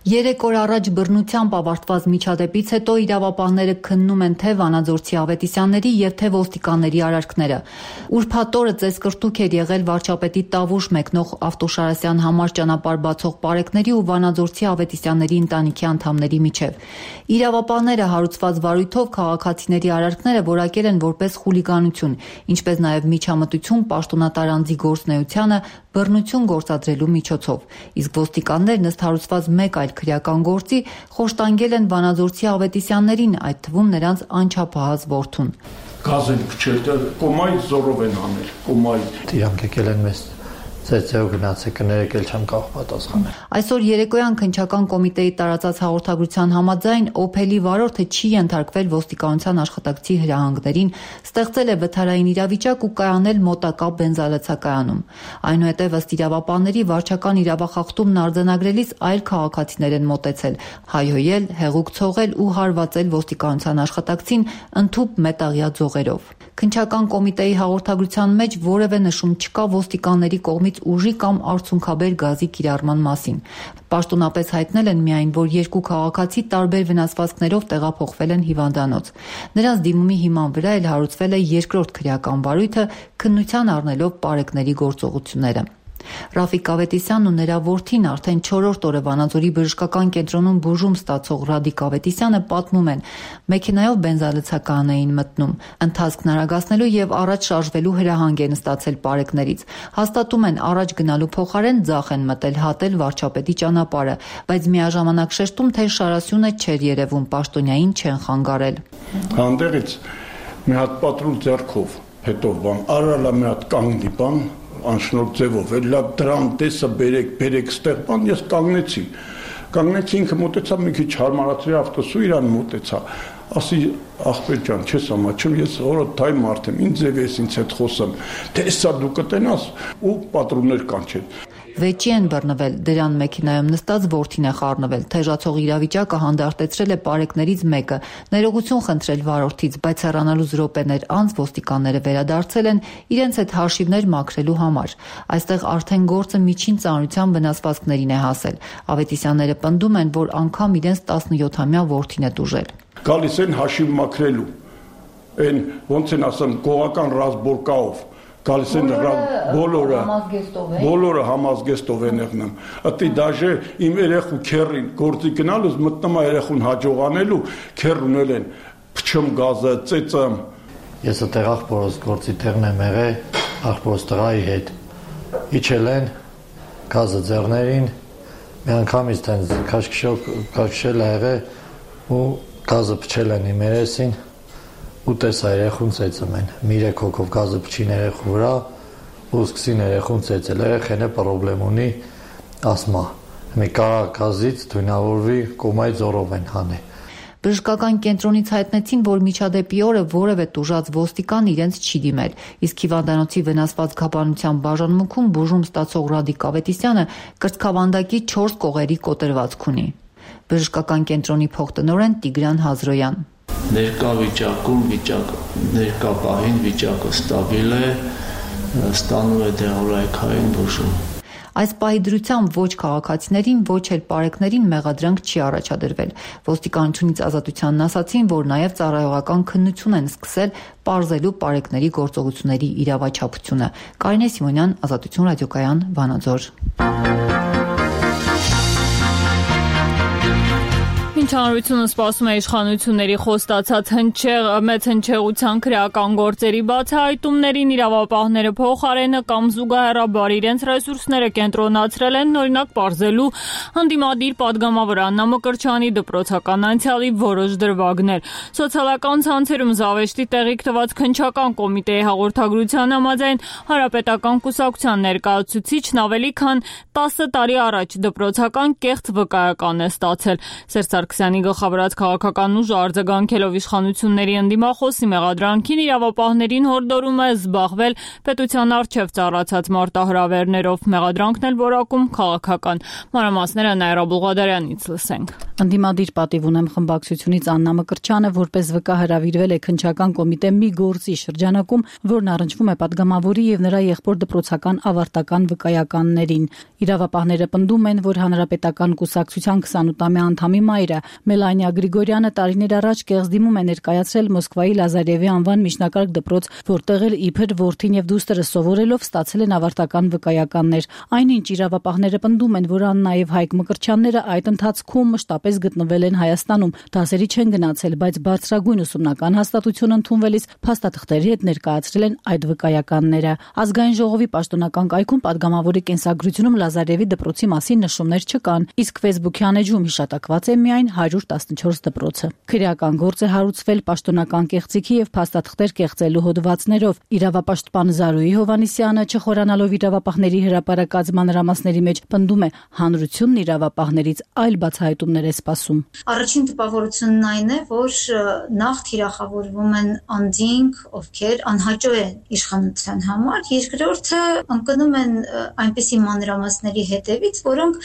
C: 3 օր առաջ բռնությամբ ավարտված միջադեպից հետո իրավապահները քննում են թե Վանաձորցի Ավետիսյանների եւ թե ոստիկանների արարքները։ Ուրբաթ օրը ծեծկռտուք էր եղել վարչապետի Տավուշ մեկնող ավտոշարասյան համար ճանապարհ բացող պարեկների ու Վանաձորցի Ավետիսյանների ընտանիքի անդամների միջև։ Իրավապահները հարուցված վարույթով քաղաքացիների արարքները որակել են որպես խուլիգանություն, ինչպես նաեւ միջամտություն պաշտոնատար անձի գործունեությանը բռնություն գործադրելու միջոցով։ Իսկ ոստիկաններն ըստ հարուցված մեկ այլ քրեական գործի խոշտանգել են Վանաձորցի Ավետիսյաններին, այդ թվում նրանց անչափահաս որդուն։
I: Գազ են փչել, կոմայի զորով են անել, կոմայի։
J: Իրանք եկել են մեզ ծեծեով գնացեք, կներեք էլ չեմ կարող պատասխանել։
C: Այսօր երեկոյան քննչական կոմիտեի տարածած հաղորդագրության համաձայն Օփելի վարորդը չի ենթարկվել ոստիկանության աշխատակցի հրահանգներին, ստեղծել է վթարային իրավիճակ ու կայանել մոտակա բենզալացակայանում։ Այնուհետև ըստ իրավապահների վարչական իրավախախտումն արձանագրելիս այլ քաղաքացիներ են մոտեցել, հայհոյել, հեղուկ ցողել ու հարվածել ոստիկանության աշխատակցին ընդհուպ մետաղյա ձողերով։ Քննչական կոմիտեի հաղորդագրության մեջ որևէ նշում չկա ոստիկանների կողմից ուժի կամ արդյունքաբեր գազի կիրառման մասին։ Պաշտոնապես հայտնել են միայն, որ երկու քաղաքացի տարբեր վնասվածքներով տեղափոխվել են հիվանդանոց։ Նրանց դիմումի հիման վրա էլ հարուցվել է երկրորդ քրեական վարույթը, քննության առնելով պարեկների գործողությունները։ Ռաֆիկ Ավետիսյանն ու նրա որդին արդեն 4-րդ օրը Վանաձորի բժշկական կենտրոնում բուժում ստացող Ռադիկ Ավետիսյանը պատմում են, մեքենայով բենզալցական էին մտնում, ընթացքն արագացնելու եւ առաջ շարժվելու հրահանգ են ստացել պարեկներից։ Հաստատում են առաջ գնալու փոխարեն ձախ են մտել հատել վարչապետի ճանապարհը, բայց միաժամանակ շեշտում, թե շարասյունը չէր երևում, պաշտոնյային չեն խանգարել։
I: Հանդերից մի հատ պատրուլ ձեռքով, հետո բան, արալա մի հատ կանգնի բան անշնորհ ձևով, լավ դրան տեսա բերեք ստեղ բան, ես կանգնեցի ինքը մոտեցա մի քիչ հարմարացրի ավտոսու իրան մոտեցա, ասի ախպեր ջան, չես ամաչում, ես օրոթայ մարդ եմ, ինձ ձև ես ինձ հետ խոսեմ, թե սա դու կտենաս ու պատրուններ կանչել։
K: վեճի են բռնվել, դրան մեքենայում նստած որդին է խառնվել, թեժացող իրավիճակը հանդարտեցրել է պարեկներից մեկը, ներողություն խնդրել վարորդից, բայց հեռանալուց րոպեներ անց ոստիկանները վերադարձել են իրենց հետ հաշիվներ մաքրելու համար։ Այստեղ արդեն գործը միջին ծանրության վնասվածքներին է հասել։ Ավետիսյանները պնդում են, որ անգամ իրենց 17-ամյա որդին է տուժել։
I: Գալիս են հաշիվ մաքրելու, այն ոնց են ասեմ գողական ռազմորկայով, գալիս են բոլորը համազգեստով են եղնում։ Ատի դաժե իմ երեխու քերին գործի գնալուց մտնում է երեխուն հաջողանելու, քեր ունել են փչում գազը, ծեծը։
J: Ես այդտեղ աղբորս գործի տեղն եմ եղել, աղբորս տղայի հետ։ Իջել են գազը ձեռներին, մի անգամից տենց քաշքշել ա եղել ու գազը փչել են իմ երեսին ու տեսա երեխուն ծեծում են։ Մի 3 հոգով գազը փչին երեխու վրա ու սկսին երեխուն ծեծել։ Երեխեն է պրոբլեմ ունի ասմա։ Մի կարա գազից դույնավորվի կոմայի ձորով են հանել։
K: Բժշկական կենտրոնից հայտնեցին, որ միջադեպի օրը որևէ տուժած ոստիկան իրենց չի դիմել, իսկ հիվանդանոցի վնասված գաբանության բաժանմունքում բուժում ստացող Ռադիկ Ավետիսյանը կրծքավանդակի 4 կողերի կոտրվածք ունի։ Բժշկական կենտրոնի փոխտնօրեն Տիգրան Հազրոյան։
L: Ներկա վիճակում ներկա պահին վիճակը ստաբիլ է, ստանում է դեղորայքային բուժում։
K: Այս պահի դրությամբ ոչ քաղաքացիներին, ոչ էլ պարեկներին մեղադրանք չի առաջադրվել։ Ոստիկանությունից ազատությանն ասացին, որ նաև ծառայողական քննություն են սկսել պարզելու պարեկների գործողությունների իրավաչափությունը։ Կարինե Սիմոնյան, Ազատություն ռադիոկայան, Վանաձոր։
A: Հանրությունը սպասում է իշխանությունների խոստացած մեծ հնչեղության քրեական գործերի բացահայտումներին, իրավապահները փոխարենը կամ զուգահեռաբար իրենց ռեսուրսները կենտրոնացրել են օրինակ պարզելու հանդիմադիր պատգամավոր Աննա Մկրտչյանի դպրոցական անցյալի որոշ դրվագներ։ Սոցիալական ցանցերում զավեշտի տեղիք տված քննչական կոմիտեի հաղորդագրության համաձայն Հանրապետական կուսակցության ներկայացուցիչն ավելի քան 10 տարի առաջ դպրոցական կեղծ վկայական է ստացել։ Սերժ գլխավորած քաղաքական ուժը արձագանքելով իշխանությունների ընդդիմախոսի մեղադրանքին իրավապահներին հորդորում է զբաղվել պետության առջև ծառացած մարտահրավերներով, մեղադրանքն էլ որակում քաղաքական։ Մանրամասները Նաիրա Բուղադարյանից լսենք։
M: Ընդդիմադիր պատիվ ունեմ խմբակցությունից Աննա Մկրտչյանը որպես վկա հրավիրվել է քննչական կոմիտե մի գործի շրջանակում, որն առնչվում է պատգամավորի եւ նրա եղբոր դպրոցական ավարտական վկայականներին։ Իրավապահները պնդում են, որ Հանրապետական կուսակցության 28-ամյա անդամի մայրը Մելանիա Գրիգորյանը տարիներ առաջ կեղծ դիմում է ներկայացրել Մոսկվայի Լազարևի անվան միջնակարգ դպրոց, որտեղ էլ իբր որդին եւ դուստրը սովորելով ստացել են ավարտական վկայականներ։ Այնինչ իրավապահները պնդում են, որ Աննա եւ Հայկ Մկրտչյանները այդ ընթացքում մշտապես գտնվել են Հայաստանում, դասերի չեն գնացել, բայց բարձրագույն ուսումնական հաստատություն ընդունվելիս փաստաթղթերի հետ ներկայացրել են այդ վկայականները։ Ազգային ժողովի պաշտոնական կայքում պատգամավորի կենսագրությունում Լազարևի դպրոցի մասին նշումներ չկան, իսկ Facebook-յան էջում հիշատակված է միայն 114 դպրոցը։ Քրեական գործ է հարուցվել պաշտոնական կեղծիքի եւ փաստաթղթեր կեղծելու հոդվածներով։ Իրավապաշտպան Զարուհի Հովանիսյանը չխորանալով իրավապահների հրապարակած մանրամասների մեջ պնդում է, հանրությունն իրավապահներից այլ բացահայտումներ է սպասում։
N: Առաջին տպավորությունն այն է, որ նախ թիրախավորվում են անդինք, ովքեր անհաճո են իշխանության համար, երկրորդը ընկնում են այնպիսի մանրամասների հետևից, որոնք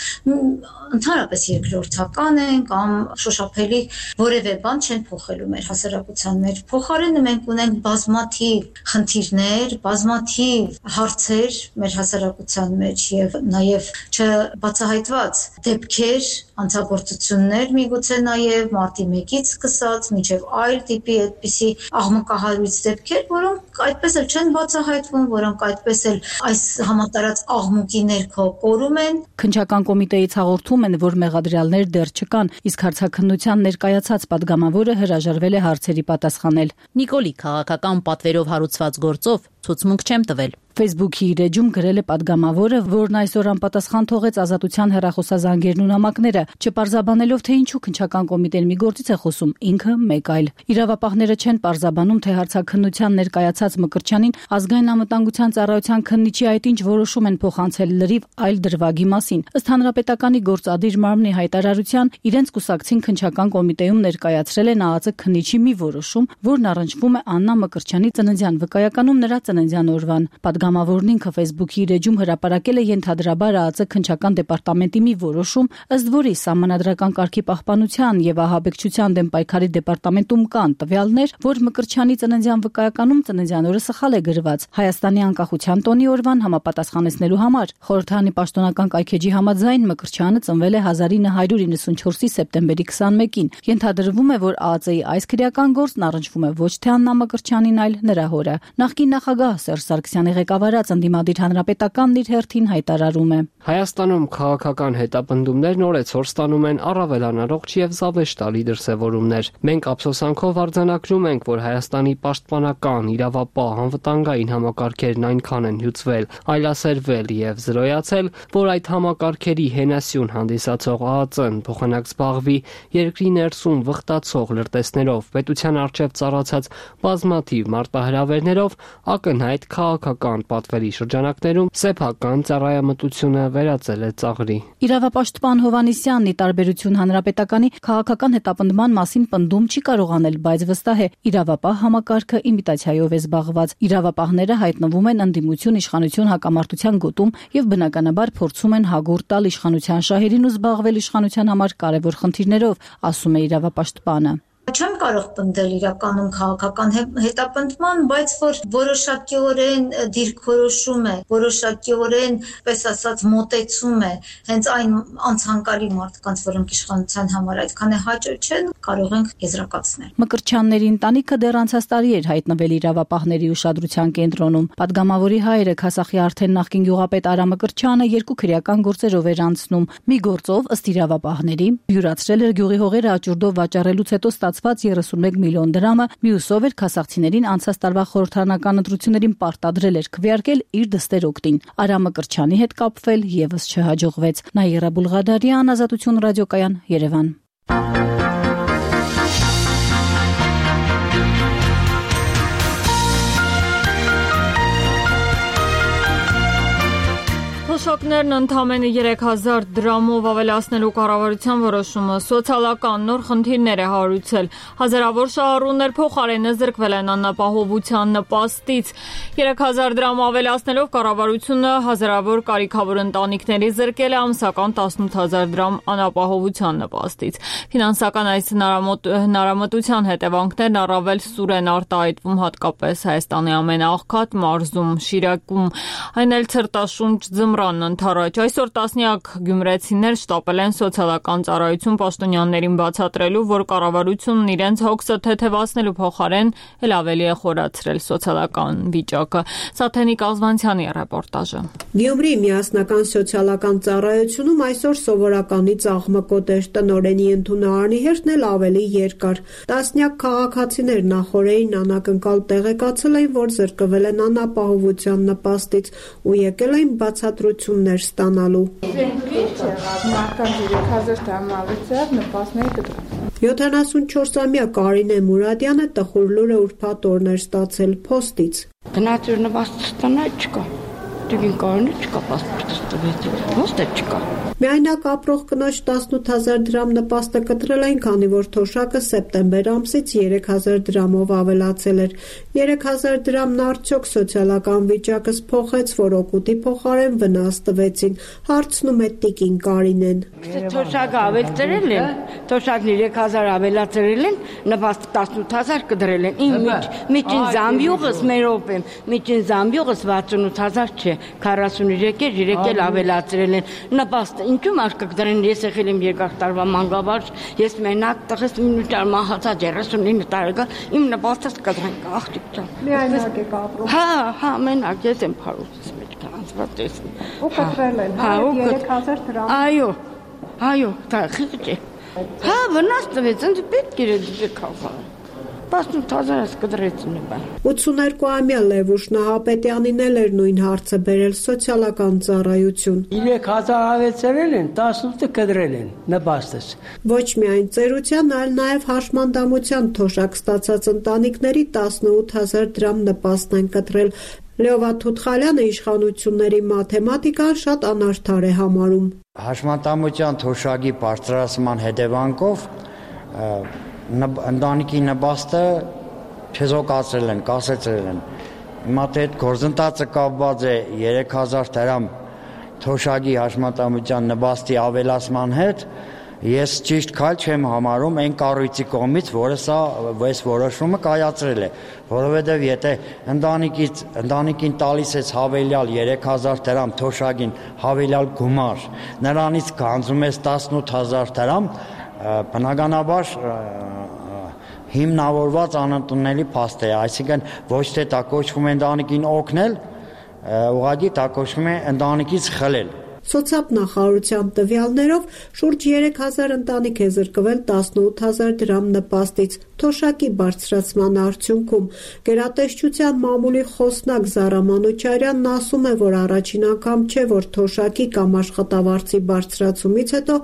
N: ընդհանրապես երկրորդական են կամ շոշափելի որևէ բան չեն փոխելու մեր հասարակության մեջ։ Փոխարենը մենք ունենք բազմաթիվ խնդիրներ, բազմաթիվ հարցեր մեր հասարակության մեջ եւ նաեւ չբացահայտված դեպքեր, անձագործություններ, միգուցե նաեւ մարտի 1-ից սկսած մինչեւ այլ տիպի այդպիսի աղմկահարույց դեպքեր, որոնք այդպես էլ չեն բացահայտվում, որոնք այդպես էլ այս համատարած աղմուկի ներքո կորում են։
M: Քննչական կոմիտեից հաղորդում են, որ մեղադրյալներ դեռ չկան, իսկ հարցաքննության ներկայացած պատգամավորը հրաժարվել է հարցերի պատասխանել։
C: Նիկոլի քաղաքական պատվերով հարուցված գործով ցուցմունք չեմ տվել։
M: Facebook-ի իր էջում գրել է պատգամավորը, որն այսօր անպատասխան թողեց Ազատության հեռախոսազանգերն ու նամակները, չպարզաբանելով թե ինչու քննչական կոմիտեն մի գործից է խոսում, ինքը մեկ այլ։ Իրավապահները չեն պարզաբանում, թե հարցաքննության ներկայացած Մկրտչյանին ազգային անվտանգության ծառայության քննիչի այդ ինչ որոշում են փոխանցել լրիվ այլ դրվագի մասին։ Ըստ Հանրապետականի գործադիր մարմնի հայտարարության, իրենց կուսակցին քննչական կոմիտեում ներկայացրել են ԱԱԾ քննիչի մի որոշում, որն առնչվում է Աննա Մկրտչյանի ծննդյան վկայականում նրա ծննդյան օրվան։ Պատգամավորն ինքը Facebook-ի իր էջում հրապարակել է ենթադրաբար ԱԱԾ քննչական դեպարտամենտի մի որոշում, ըստ որի սահմանադրական կարգի պահպանության եւ ահաբեկչության դեմ պայքարի դեպարտամենտում կան տվյալներ, որ Մկրտչյանի ծննդյան վկայականում ծննդյան օրը սխալ է գրված Հայաստանի անկախության տոնի օրվան համապատասխանեցնելու համար։ Խորհրդարանի պաշտոնական կայքեջի համաձայն Մկրտչյանը ծնվել է 1994-ի սեպտեմբերի 21-ին։ Ենթադրվում է, որ ԱԱԾ-ի այս քրեական գործն առնչվում է ոչ թե Աննա Մկրտչյանին, այլ նրա հորը։ Նախկին նախագահ Սերժ Սարգսյանի ղեկավարած ընդդիմադիր հանրապետականն իր հերթին հայտարարում է.
O: Հայաստանում քաղաքական հետապնդումներն օրեցօր ստանում են առավել անառողջ եւ զավեշտալի դրսեւորումներ։ Մենք ափսոսանքով արձանագրում ենք, որ Հայաստանի պաշտպանական, իրավապահ, անվտանգային համակարգերն այնքան են հյուծվել, այլասերվել եւ զրոյացել, որ այդ համակարգերի հենասյուն հանդիսացող ԱԱԾ-ն փոխանակ զբաղվի երկրի ներսում վխտացող լրտեսներով, պետության առջև ծառացած բազմաթիվ մարտահրավերներով, ակնհայտ քաղաքական պատվերի շրջանակներում սեփական ծառայամտությունը վերածել է ծաղրի։
M: Իրավապաշտպան Հովհաննիսյանն ի տարբերություն հանրապետականի քաղաքական հետապնդման մասին պնդում չի կարողանել, բայց վստահ է, իրավապահ համակարգը իմիտացիայով է զբաղված։ Իրավապահները հայտնվում են ընդդիմություն իշխանություն հակամարտության գոտում եւ բնականաբար փորձում են հագուրտ տալ իշխանության շահերին ու զբաղվել իշխանության համար կարևոր խնդիրներով, ասում է իրավապաշտպանը։
N: Չեմ կարող պնդել իրականում քաղաքական հետապնդման, բայց որ որոշակիորեն դիրքորոշում է, որոշակիորեն, պես ասած, մոտեցում է հենց այն անցանկալի մարդկանց, որոնք իշխանության համար այդքան է հաճո չեն, կարող ենք եզրակացնել։
M: Մկրտչյանների ընտանիքը դեռ անցած տարի էր հայտնվել իրավապահների ուշադրության կենտրոնում։ Պատգամավորի հայրը Քասախի արդեն նախկին գյուղապետ Արա Մկրտչյանը երկու քրեական գործերով էր անցնում։ Մի գործով, ըստ իրավապահների, յուրացրել էր գյուղի հողերը աճուրդով վաճառելուց հետո ստացված 31 միլիոն դրամը, մյուսով էր քասախցիներին անցած տարվա խորհրդարանական ընտրություններին պարտադրել էր քվեարկել իր դստեր օգտին։ Արա Մկրտչյանի հետ կապվել եւս չհաջողվեց։ Նաիրա Բուլղադարյան, Ազատություն ռադիոկայան, Երևան։
A: Թոշակներն ընդամենը 3000 դրամով ավելացնելու կառավարության որոշումը սոցիալական նոր խնդիրներ է հարուցել։ Հազարավոր շահառուներ փոխարենը զրկվել են անապահովության նպաստից։ 3000 դրամ ավելացնելով կառավարությունը հազարավոր կարիքավոր ընտանիքների զրկել է ամսական 18000 դրամ անապահովության նպաստից։ Ֆինանսական այս հնարամտության հետևանքներն առավել սուր են արտահայտվում հատկապես Հայաստանի ամենաաղքատ մարզում Շիրակում, այն էլ ցրտաշունչ ձմռան ընթառաջ։ Այսօր տասնյակ գյումրեցիներ շտապել են սոցիալական ծառայություն պաշտոնյաներին բացատրելու, որ կառավարությունն իրենց հոգսը թեթևացնելու փոխարեն էլ ավելի է խորացրել սոցիալական վիճակը։ Սաթենիկ Ազվանցյանի ռեպորտաժը։
P: Գյումրի միասնական սոցիալական ծառայությունում այսօր սովորականից աղմկոտ էր, տնօրենի ընդունարանի հերթն էլ ավելի երկար։ Տասնյակ քաղաքացիներ նախօրեին անակնկալ տեղեկացել էին, որ զրկվել են անապահովության նպաստից ու եկել էին բացատրություններ ստանալու։ 74-ամյա Կարինե Մուրադյանը տխուր լուրը ուրբաթ օրն էր ստացել փոստից։
Q: Գնացուր նպաստ ստանա չկա։ Դուքին կարինը չկա պասպորտը ստվեց։ Ոստը չկա։
P: Միայնակ ապրող կնոջ 18000 դրամ նպաստը կտրել էին, քանի որ թոշակը սեպտեմբեր ամսից 3000 դրամով ավելացել էր։ 3000 դրամն արդյոք սոցիալական վիճակս փոխեց, որ օգուտի փոխարեն վնաս տվեցին, հարցնում է տիկին Կարինեն։
Q: Թոշակը ավելացրել են, թոշակն 3000 ավելացրել են, նպաստը 18000 կդրել են։ Իմ միջին զամբյուղս մեր օպեմ, միջին զամբյուղս 68000 չէ, 43 էլ ավելացրել են։ Նպաստը ինչու մարդիկ կդրեն, ես եղել եմ երկար տարվա մանկավարժ, ես մենակ տղես մինուտար մահացած 39 տարեկան, իմ նպաստս կդրեն աղջիկ ջան։
P: Միայնակ եք ապրում։
Q: Հա, մենակ ես եմ փարուզից մեջ կանցված ես։
P: Ու կտրել են, 3000 դրամ։
Q: Այո, դա խիղճ է։ Հա, վնաս տվեց, ինձ պետք էր դե քաղաք։ 18000 կդրեցին բան։
P: 82-ամյա Լևուշ Նահապետյանին էլ էր նույն հարցը բերել սոցիալական ծառայություն։
R: 3000 ավելացրել են, 18-ը կդրել են նպաստս։
P: Ոչ միայն ծերության, այլ նաև հաշմանդամության թոշակ ստացած ընտանիքների 18000 դրամ նպաստն են կտրել։ Լեովա Թութխալյանը իշխանությունների մաթեմատիկան շատ անարդար է համարում։
S: Հաշմանդամության թոշակի բարձրացման հետևանքով ընտանիքի նպաստը չեզոքացրել են, կասեցրել են։ Հիմա դե այդ գործընթացը կապված է 3000 դրամ թոշակի հաշմանդամության նպաստի ավելացման հետ, ես ճիշտ քայլ չեմ համարում այն կառույցի կողմից, որը սա այս որոշումը կայացրել է, որովհետև եթե ընտանիքին տալիս ես հավելյալ 3000 դրամ թոշակին հավելյալ գումար, նրանից գանձում ես 18000 դրամ, բնականաբար հիմնավորված անընդունելի փաստ է, այսինքն ոչ թե դա կոչվում է ընտանիքին օգնել, ուղղակի դա կոչվում է ընտանիքից խլել։
P: Սոցիալնախարարության տվյալներով շուրջ 3000 ընտանիք է զրկվել 18000 դրամ նպաստից թոշակի բարձրացման արդյունքում։ Գերատեսչության մամուլի խոսնակ Զարա Մանուչարյանն ասում է, որ առաջին անգամ չէ, որ թոշակի կամ աշխատավարձի բարձրացումից հետո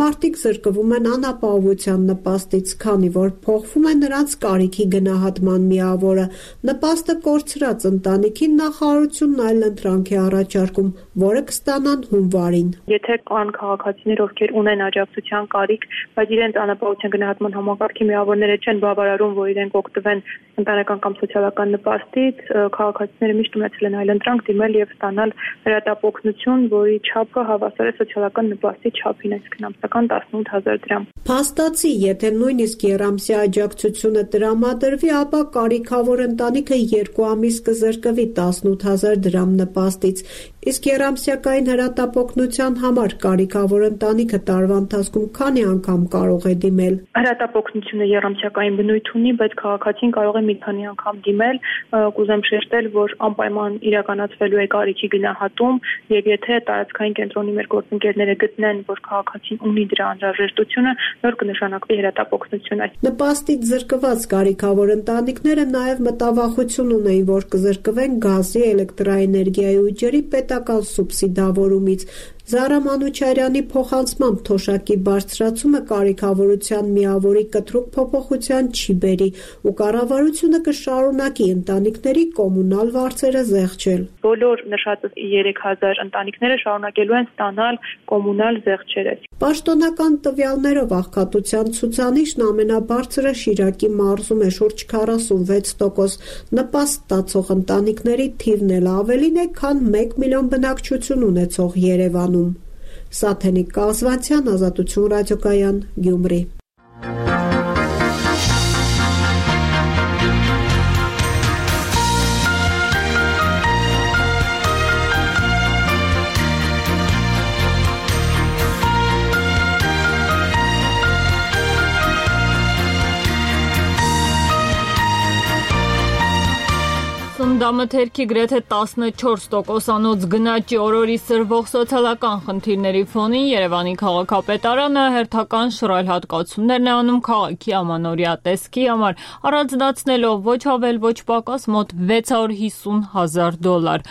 P: մարդիկ զրկվում են անապահովության նպաստից, քանի որ փոխվում է նրանց կարիքի գնահատման միավորը։ Նպաստը կորցրած ընտանիքին նախարարությունն այլընտրանք է առաջարկում, որը կստանան հունվարին։
T: Եթե կան քաղաքացիներ, ովքեր ունեն աջակցության կարիք, բայց իրենց անապահովության գնահատման համակարգի միավորները չեն բավարարում, որ իրենք օգտվեն ընտանեկան կամ սոցիալական նպաստից, քաղաքացիները միշտ ունեցել են այլընտրանք դիմել եւ ստանալ հրատապօգնություն, որի չափը հավասար է սոցիալական նպաստի չափին, այսինքն ամսական 18000 դրամ։
P: Փաստացի, եթե նույնիսկ երամսյա աջակցությունը տրամադրվի, ապա կարիքավոր ընտանիքը 2 ամիս կզրկվի 18000 դրամ նպաստից, իսկ երամսյակային հրատապօգնության համար կարիքավոր ընտանիքը տարվա ընթացքում քանի անգամ կարող է դիմել։
T: Հրատապօգնությունը երամսյակային բնույթ ունի, բայց քաղաքացին կարող է մի քանի անգամ դիմել, կուզեմ շեշտել, որ անպայման իրականացվելու է կարիքի գնահատում, եւ եթե տարածքային կենտրոնի մեր գործընկերները գտնեն, որ քաղաքացին ունի դրա անհրաժեշտությունը, նոր կնշանակվի հրատապօգնություն։
P: Նպաստից զրկված կարիքավոր ընտանիքները նաև մտավախություն ունեին, որ կզրկվեն գազի, էլեկտրաէներգիայի ու ջրի պետական սուբսիդավորումից։ Զարա Մանուչարյանի փոխանցմամբ թոշակի բարձրացումը կարիքավորության միավորի կտրուկ փոփոխության չի բերի ու կառավարությունը կշարունակի ընտանիքների կոմունալ վարձերը զեղչել։
T: Բոլոր նշած 3000 ընտանիքները շարունակելու են ստանալ կոմունալ զեղչերը։
P: Պաշտոնական տվյալներով աղքատության ցուցանիշն ամենաբարձրը Շիրակի մարզում է շուրջ 46%, նպաստ ստացող ընտանիքների թիվն էլ ավելին է, քան 1 միլիոն բնակչություն ունեցող Երևան։ Սաթենիկ Կազվանցյան, Ազատություն ռադիոկայան, Գյումրի։
A: Սննդամթերքի գրեթե 14%-անոց գնաճի օրորի սրվող սոցիալական խնդիրների ֆոնին Երևանի քաղաքապետարանը հերթական շռայլ հատկացումներ է անում քաղաքի ամանորյա տեսքի համար, առանձնացնելով ոչ ավել ոչ պակաս մոտ $650,000։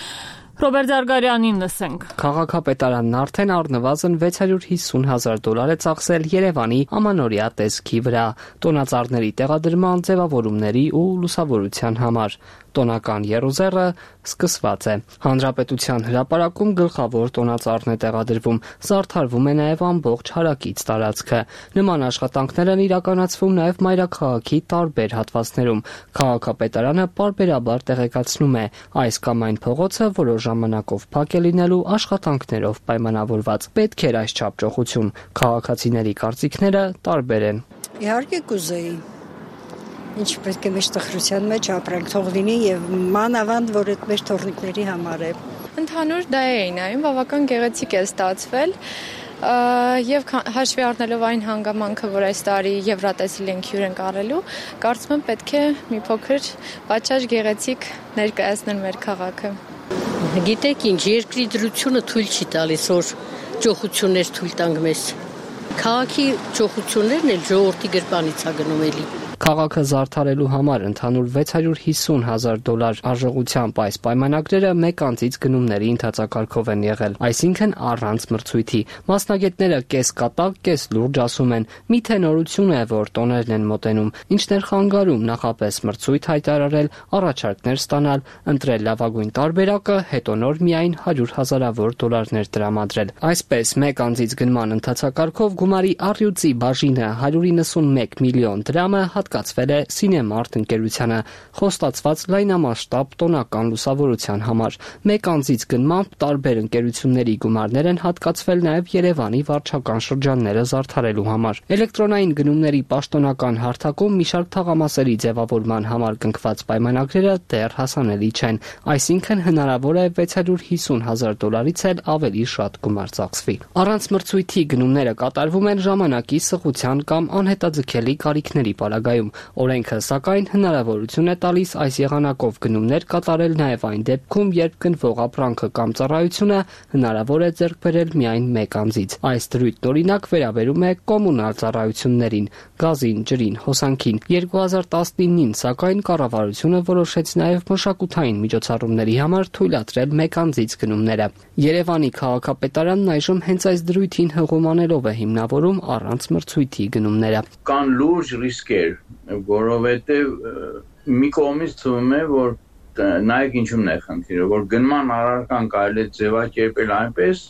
A: Ռոբերտ Զարգարյանին լսենք։
O: Քաղաքապետարանն արդեն առնվազն $650,000 է ծախսել Երևանի ամանորյա տեսքի վրա, տոնածառների տեղադրման, ձևավորումների ու լուսավորության համար։ Տոնական եռուզեռը սկսված է։ Հանրապետության հրապարակում գլխավոր տոնածառն է տեղադրվում, զարդարվում է նաև ամբողջ հարակից տարածքը։ Նման աշխատանքներ են իրականացվում նաև մայրաքաղաքի տարբեր հատվածներում։ Քաղաքապետարանը պարբերաբար տեղեկացնում է, այս կամ այն փողոցը որոշ ժամանակով փակ է լինելու աշխատանքներով պայմանավորված։ Պետք էր այս չափչոխություն։ Քաղաքացիների կարծիքները տարբեր են։
U: Իհարկե կուզեի։ Ինչ պետք է մեր տխրության մեջ ապրենք, թող լինի եւ մանավանդ, որ այդ մեր թորնիկների համար է։
V: Ընդհանուր դա է նայում, բավական գեղեցիկ է ստացվել եւ հաշվի առնելով այն հանգամանքը, որ այս տարի Եվրատեսիլ ենք հյուր ենք առելու, կարծում եմ պետք է մի փոքր պատշաճ գեղեցիկ ներկայացնել մեր քաղաքը։
W: Գիտեք ինչ, երկրի դրությունը թույլ չի տալիս, որ ճոխություններ թույլ տանք մեզ։ Քաղաքի ճոխություններն էլ ժողովրդի գրպանից է գնում էլի։
O: Քաղաքը զարդարելու համար ընդհանուր $650,000 արժողությամբ այս պայմանագրերը մեկ անձից գնումների ընթացակարգով են եղել, այսինքն առանց մրցույթի։ Մասնագետները կես կատակ, կես լուրջ ասում են, միթե նորություն է, որ տոներն են մոտենում, ինչն էր խանգարում նախապես մրցույթ հայտարարել, առաջարկներ ստանալ, ընտրել լավագույն տարբերակը, հետո նոր միայն $100,000 տրամադրել։ Այսպես, մեկ անձից գնման ընթացակարգով գումարի առյուծի բաժինը $191 միլիոն դրամը հատկացվել է Սինեմարտ ընկերությանը, խոստացված լայնամասշտաբ տոնական լուսավորության համար։ Մեկ անձից գնմամբ տարբեր ընկերությունների գումարներ են հատկացվել նաև Երևանի վարչական շրջանները զարդարելու համար։ Էլեկտրոնային գնումների պաշտոնական հարթակում մի շարք թաղամասերի ձևավորման համար կնքված պայմանագրերը դեռ հասանելի չեն, այսինքն հնարավոր է $650,000-ից էլ ավելի շատ գումար ծախսվի։ Առանց մրցույթի գնումները կատարվում են ժամանակի, սղության կամ անհետաձգելի կարիքների պարագայում։ Օրենքը, սակայն, հնարավորություն է տալիս այս եղանակով գնումներ կատարել նաև այն դեպքում, երբ գնվող ապրանքը կամ ծառայությունը հնարավոր է ձեռք բերել միայն մեկ անձից։ Այս դրույթն օրինակ վերաբերում է կոմունալ ծառայություններին, գազին, ջրին, հոսանքին։ 2019-ին, սակայն, կառավարությունը որոշեց նաև մշակութային միջոցառումների համար թույլատրել մեկ անձից գնումները։ Երևանի քաղաքապետարանն այժմ հենց այս դրույթին հղում անելով է հիմնավորում առանց մրցույթի գնումները։
B: Կան լուրջ ռիսկեր, որովհետև մի կողմից թվում է, որ նայեք ինչու՞մն է խնդիրը, որ գնման առարկան կարելի է ձևակերպել այնպես,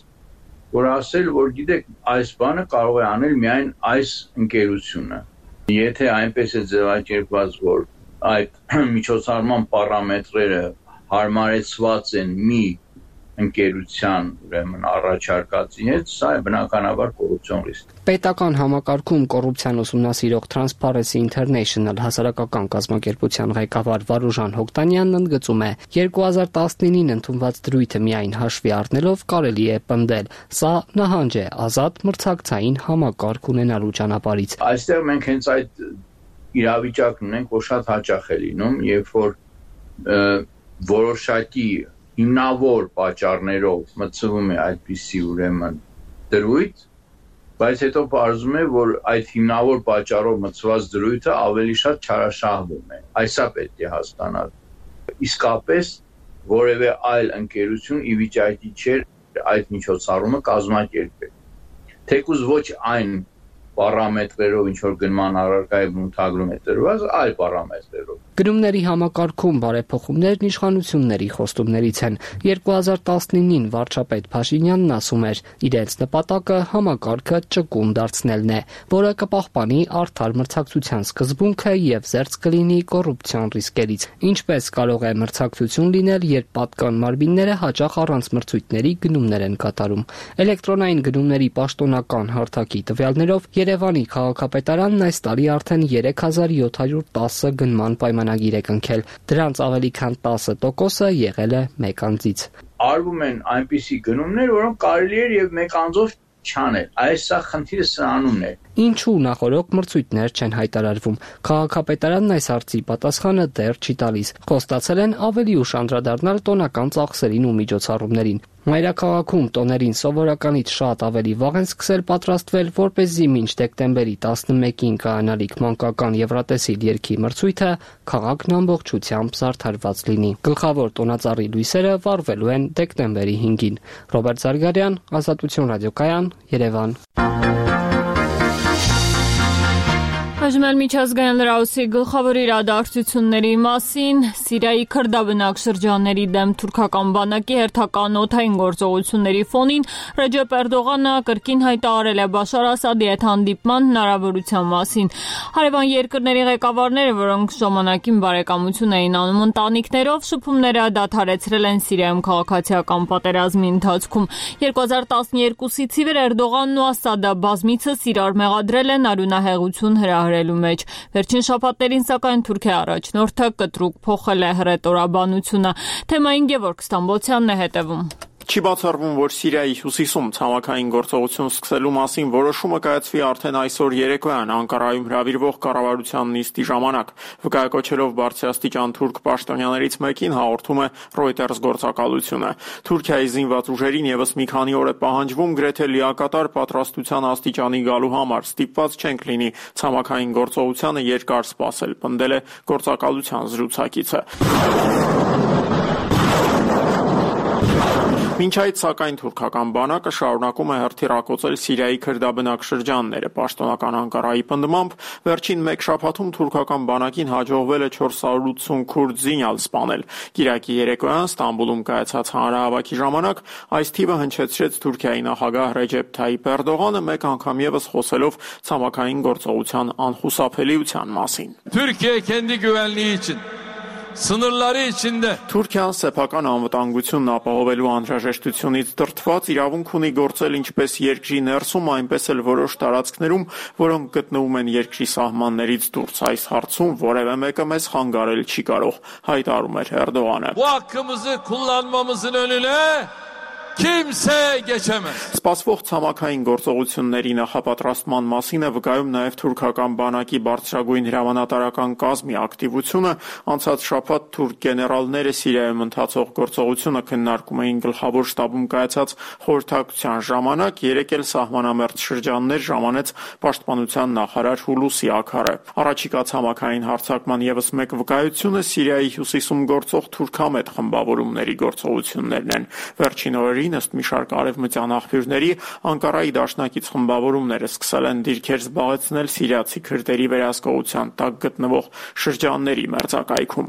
B: որ ասել, որ գիտեք, այս բանը կարող է անել միայն այս ընկերությունը։ Եթե այնպես է ձևակերպված, որ այդ միջոցառման պարամետրերը հարմարեցված են մի ընկերության ուրեմն առաջարկածի հետ, սա է բնականաբար կոռուպցիոն ռիսկ։
O: Պետական համակարգում կոռուպցիան ուսումնասիրող Transparency International հասարակական կազմակերպության ղեկավար Վարուժան Հոկտանյանն ընդգծում է. 2019-ին ընդունված դրույթը միայն հաշվի առնելով կարելի է պնդել, սա նահանջ է ազատ մրցակցային համակարգ ունենալու ճանապարհից։
B: Այստեղ մենք հենց այդ իրավիճակն ունենք, որ շատ հաճախ է լինում, երբ որ որոշակի հիմնավոր պատճառներով մտցվում է այդպիսի ուրեմն դրույթ, բայց հետո պարզվում է, որ այդ հիմնավոր պատճառով մտցված դրույթը ավելի շատ չարաշահվում է։ Այսա պետք է հասկանալ։ Իսկապես որևէ այլ ընկերություն ի վիճակի չէր այդ միջոցառումը կազմակերպել։ Թեկուզ ոչ այն պարամետրերով, ինչ որ գնման առարկայի բնութագրում է տրված, այլ պարամետրերով։
O: Գնումների համակարգում բարեփոխումներն իշխանությունների խոստումներից են։ 2019-ին վարչապետ Փաշինյանն ասում էր, իրենց նպատակը համակարգը ճկուն դարձնելն է, որը կպահպանի արդար մրցակցության սկզբունքը եւ զերծ կլինի կոռուպցիոն ռիսկերից։ Ինչպես կարող է մրցակցություն լինել, երբ պատկան մարմինները հաճախ առանց մրցույթների գնումներ են կատարում։ Էլեկտրոնային գնումների պաշտոնական հարթակի տվյալներով Երևանի քաղաքապետարանն այս տարի արդեն 3710 գնման պայմանագիր է կնքել։ Դրանց ավելի քան 10%-ը եղել է մեկ անձից։
B: Արվում են այնպիսի գնումներ, որոնք կարելի է եւ մեկ անձով չանել։ Այս սա խնդիրը սրանումն է։
O: Ինչու նախորոք մրցույթներ չեն հայտարարվում։ Քաղաքապետարանն այս հարցի պատասխանը դեռ չի տալիս։ Խոստացել են ավելի ուշ անդրադառնալ տոնական ծախսերին ու միջոցառումներին։ Մայրաքաղաքում տոներին սովորականից շատ ավելի վաղ են սկսել պատրաստվել, որպեսզի մինչ դեկտեմբերի 11-ին կայանալիք մանկական Եվրատեսիլ երգի մրցույթը քաղաքն ամբողջությամբ զարդարված լինի։ Գլխավոր տոնածառի լույսերը վառվելու են դեկտեմբերի 5-ին։ Ռոբերտ Զարգարյան, Ազատություն ռադիոկայան, Երևան։
A: Այժմ էլ միջազգային լրահոսի գլխավոր իրադարձությունների մասին Սիրիայի քրդաբնակ շրջանների դեմ թուրքական բանակի հերթական օդային գործողությունների ֆոնին Ռեջեփ Էրդողանը կրկին հայտարարել է Բաշար Ասադի հետ հանդիպման հնարավորության մասին։ Հարևան երկրների ղեկավարները, որոնք ժամանակին բարեկամություն էին անում ընտանիքներով, շփումները դադարեցրել են Սիրիայում քաղաքացիական պատերազմի ընթացքում։ 2012-ից ի վեր Էրդողանն ու Ասադը բազմիցս իրար մեղադրել են արյունահեղություն հրահրելու մեջ։ Վերջին շաբաթներին, սակայն, Թուրքիա առաջնորդը կտրուկ փոխել է հռետորաբանությունը։ Թեմային Գևորգ Ստամբոլցյանն է հետևում։
D: Չի բացառվում, որ Սիրիայի հյուսիսում ցամաքային գործողություն սկսելու մասին որոշումը կայացվի արդեն այսօր երեկոյան Անկարայում հրավիրվող կառավարության նիստի ժամանակ։ Վկայակոչելով բարձրաստիճան թուրք պաշտոնյաներից մեկին հաղորդում է Reuters գործակալությունը։ Թուրքիայի զինված ուժերին եւս մի քանի օր է պահանջվում գրեթե լիակատար պատրաստության աստիճանի գալու համար։ Ստիպված չենք լինի ցամաքային գործողությանը երկար սպասել, պնդել է գործակալության զրուցակիցը։ Մինչ այդ, սակայն, թուրքական բանակը շարունակում է հրթիռակոծել Սիրիայի քրդաբնակ շրջանները։ Պաշտոնական Անկարայի պնդմամբ, վերջին մեկ շաբաթում թուրքական բանակին հաջողվել է 480 քուրդ զինյալ սպանել։ Կիրակի երեկոյան Ստամբուլում կայացած հանրահավաքի ժամանակ այս թիվը հնչեցրեց Թուրքիայի նախագահ Ռեջեփ Թայիփ Էրդողանը, մեկ անգամ ևս խոսելով ցամաքային գործողության անխուսափելիության մասին։
E: Türkiye kendi güvenliği için sınırları içinde
D: Թուրքիան սեփական անվտանգությունն ապահովելու անհրաժեշտությունից դրդված իրավունք ունի գործել ինչպես երկրի ներսում, այնպես էլ որոշ տարածքներում, որոնք գտնվում են երկրի սահմաններից դուրս։ Այս հարցում որևէ մեկը մեզ խանգարել չի կարող, հայտարարում էր Էրդողանը։
E: Bu hakkımızı kullanmamızın önüne kimse geçemez.
D: Սպասվող ցամաքային գործողությունների նախապատրաստման մասին է վկայում նաև թուրքական բանակի բարձրագույն հրամանատարական կազմի ակտիվությունը։ Անցած շաբաթ թուրք գեներալները Սիրիայում ընթացող գործողությունը քննարկում էին գլխավոր շտաբում կայացած խորհրդակցության ժամանակ, երեկ էլ սահմանամերձ շրջաններ ժամանեց պաշտպանության նախարար Հուլուսի Աքարը։ Առաջիկա ցամաքային հարձակման ևս մեկ վկայությունը Սիրիայի հյուսիսում գործող թուրքամետ խմբավորումների գործողություններն են։ Վերջին օրերին ըստ մի շարք արևմտյան աղբյուրների Անկարայի դաշնակից խմբավորումները սկսել են դիրքեր զբաղեցնել սիրիացի քրդերի վերահսկողության տակ գտնվող շրջանների մերձակայքում։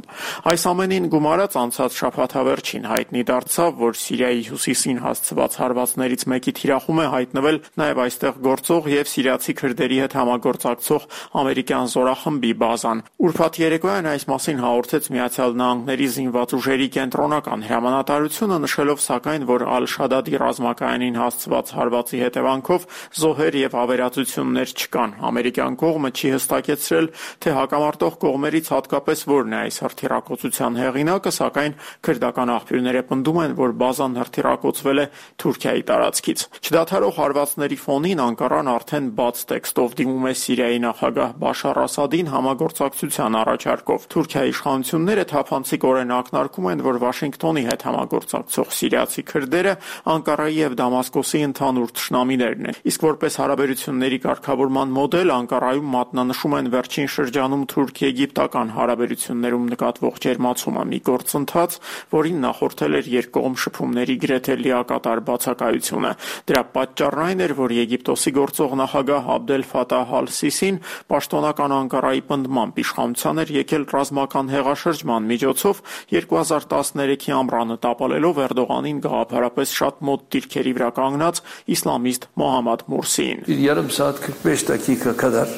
D: Այս ամենին գումարած անցած շաբաթավերջին հայտնի դարձավ, որ Սիրիայի հյուսիսին հասցված հարվածներից մեկի թիրախում է հայտնվել նաև այստեղ գործող եւ սիրիացի քրդերի հետ համագործակցող ամերիկյան զորախմբի բազան։ Ուրբաթ երեկոյան այս մասին հաղորդեց Միացյալ Նահանգների զինված ուժերի կենտրոնական հրամանատարությունը, նշելով սակայն, որ Ալ-Շադադի ռազմակայանին հասցված հարվածի հետևանքով զոհեր եւ ավերածություններ չկան։ Ամերիկյան կողմը չի հստակեցրել, թե հակամարտող կողմերից հատկապես որն է այս հրթիռակոծության հեղինակը, սակայն քրդական աղբյուրները պնդում են, որ բազան հրթիռակոծվել է Թուրքիայի տարածքից։ Չդադարող հարվածների ֆոնին Անկարան արդեն բաց տեքստով դիմում է Սիրիայի նախագահ Բաշար Ասադին համագործակցության առաջարկով։ Թուրքիայի իշխանությունները թափանցիկորեն ակնարկում են, որ Վաշինգտոնի հետ համագործակցող սիրիացի քրդերը Անկարայի եւ Դամասկոսի ընդհանուր թշնամիներն են։ Իսկ որպես հարաբերությունների կարգավորման մոդել Անկարայում մատնանշում են վերջին շրջանում թուրք-եգիպտական հարաբերություններում նկատվող ջերմացումը, մի գործընթաց, որին նախորդել էր երկկողմ շփումների գրեթե լիակատար բացակայությունը։ Դրա պատճառն այն էր, որ Եգիպտոսի գործող նախագահ Աբդել Ֆաթահ Ալ-Սիսին պաշտոնական Անկարայի պնդմամբ իշխանության էր եկել ռազմական հեղաշրջման միջոցով 2013-ի ամռանը տապալելով Էրդողանին գաղափարապես շատ մոտ դիրքերի վրա կանգնած իսլամիստ Մոհամմադ Մուրսիին։
E: Yarım saat 45 dakika kadar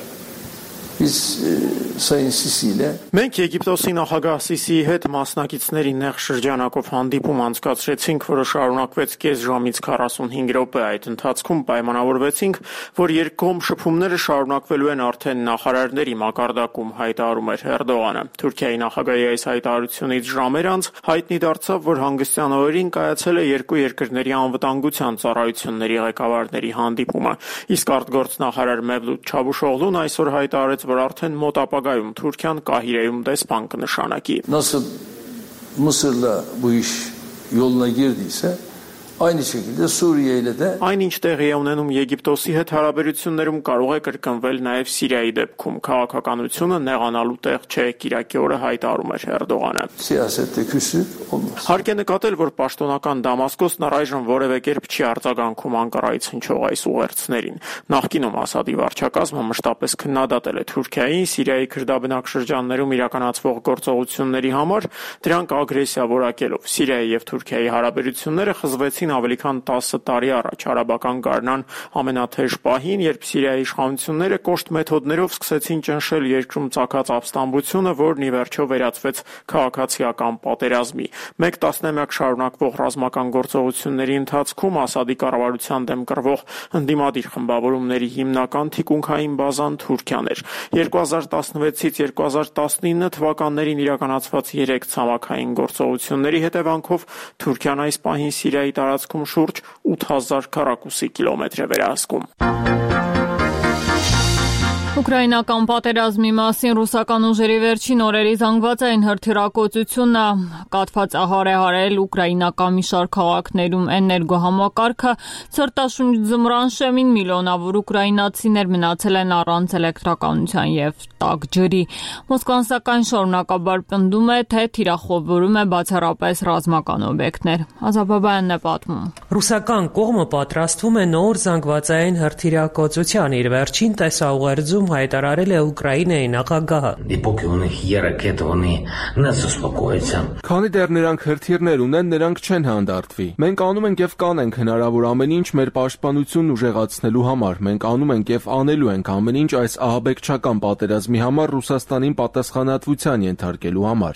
E: biz Sayın Sisi ile
D: Մենք Եգիպտոսի նախագահ Սիսիի հետ մասնակիցների նեղ շրջանակով հանդիպում անցկացրեցինք, որը շարունակվեց կես ժամից 45 րոպե։ Այդ ընթացքում պայմանավորվեցինք, որ երկկողմ շփումները շարունակվելու են արդեն նախարարների մակարդակում, հայտարարում էր Էրդողանը։ Թուրքիայի նախագահի այս հայտարարությունից ժամեր անց հայտնի դարձավ, որ հանգստյան օրերին կայացել է երկու երկրների անվտանգության ծառայությունների ղեկավարների հանդիպումը։ Իսկ արտգործնախարար Մևլութ Չավուշօղլուն այսօր հայտարարեց, որ արդեն մոտ ապագայում Թուրքիան Կահիրեում դեսպան կնշանակի։
E: nasıl Mısır'la bu iş yoluna girdiyse aynı şekilde Suriye ile de
D: Այնինչ տեղի է ունենում Եգիպտոսի հետ հարաբերություններում կարող է կրկնվել նաև Սիրիայի դեպքում։ Քաղաքականությունը նեղանալու տեղ չէ, կիրակի օրը հայտարարում էր Էրդողանը։
E: siyasette küsü olmaz.
D: Հարկ է նկատել, որ պաշտոնական Դամասկոսն առայժմ որևէ կերպ չի արձագանքում Անկարայից հնչող այս ուղերձներին։ Նախկինում Ասադի վարչակազմը մշտապես քննադատել է Թուրքիային Սիրիայի քրդաբնակ շրջաններում իրականացվող գործողությունների համար, դրանք ագրեսիա որակելով։ Սիրիայի եւ Թուրքիայի հարաբերությունները խզվեցին ավելի քան 10 տարի առաջ արաբական գարնան ամենաթեժ պահին, երբ Սիրիայի իշխանությունները կոշտ մեթոդներով սկսեցին ճնշել երկրում ծագած ապստամբությունը, որն ի վերջո վերածվեց քաղաքացիական պատերազմի։ Մեկ տասնամյակ շարունակվող ռազմական գործողությունների ընթացքում Ասադի կառավարության դեմ կռվող ընդդիմադիր խմբավորումների հիմնական թիկունքային բազան Թուրքիան էր։ 2016-ից 2019 թվականներին իրականացված 3 ցամաքային գործողությունների հետևանքով Թուրքիան այս պահին Սիրիայի տարածքում շուրջ 8000 քառակուսի կիլոմետր է վերահսկում։
A: Ուկրաինական պատերազմի մասին ռուսական ուժերի վերջին օրերի զանգվածային հրթիռակոծությունը կաթված հարել ուկրաինական մի շարք քաղաքներում էներգոհամակարգը ցրտաշունչ ձմռան շեմին միլիոնավոր ուկրաինացիներ մնացել են առանց էլեկտրականության եւ տաք ջրի։ Մոսկվան սակայն շարունակաբար պնդում է, թե թիրախավորում է բացառապես ռազմական օբյեկտներ։ Ազաբաբայանն է պատմում։
F: Ռուսական կողմը պատրաստվում է նոր զանգվածային հրթիռակոծության իր վերջին տեսաուղերձում հայտարարել է Ուկրաինայի նախագահը։
G: Քանի դեռ նրանք հրթիռներ ունեն, նրանք չեն հանդարտվի։ Մենք անում ենք եւ կանենք հնարավոր ամեն ինչ մեր պաշտպանությունն ուժեղացնելու համար։ Մենք անում ենք եւ անելու ենք ամեն ինչ այս ահաբեկչական պատերազմի համար Ռուսաստանին պատասխանատվության ենթարկելու համար։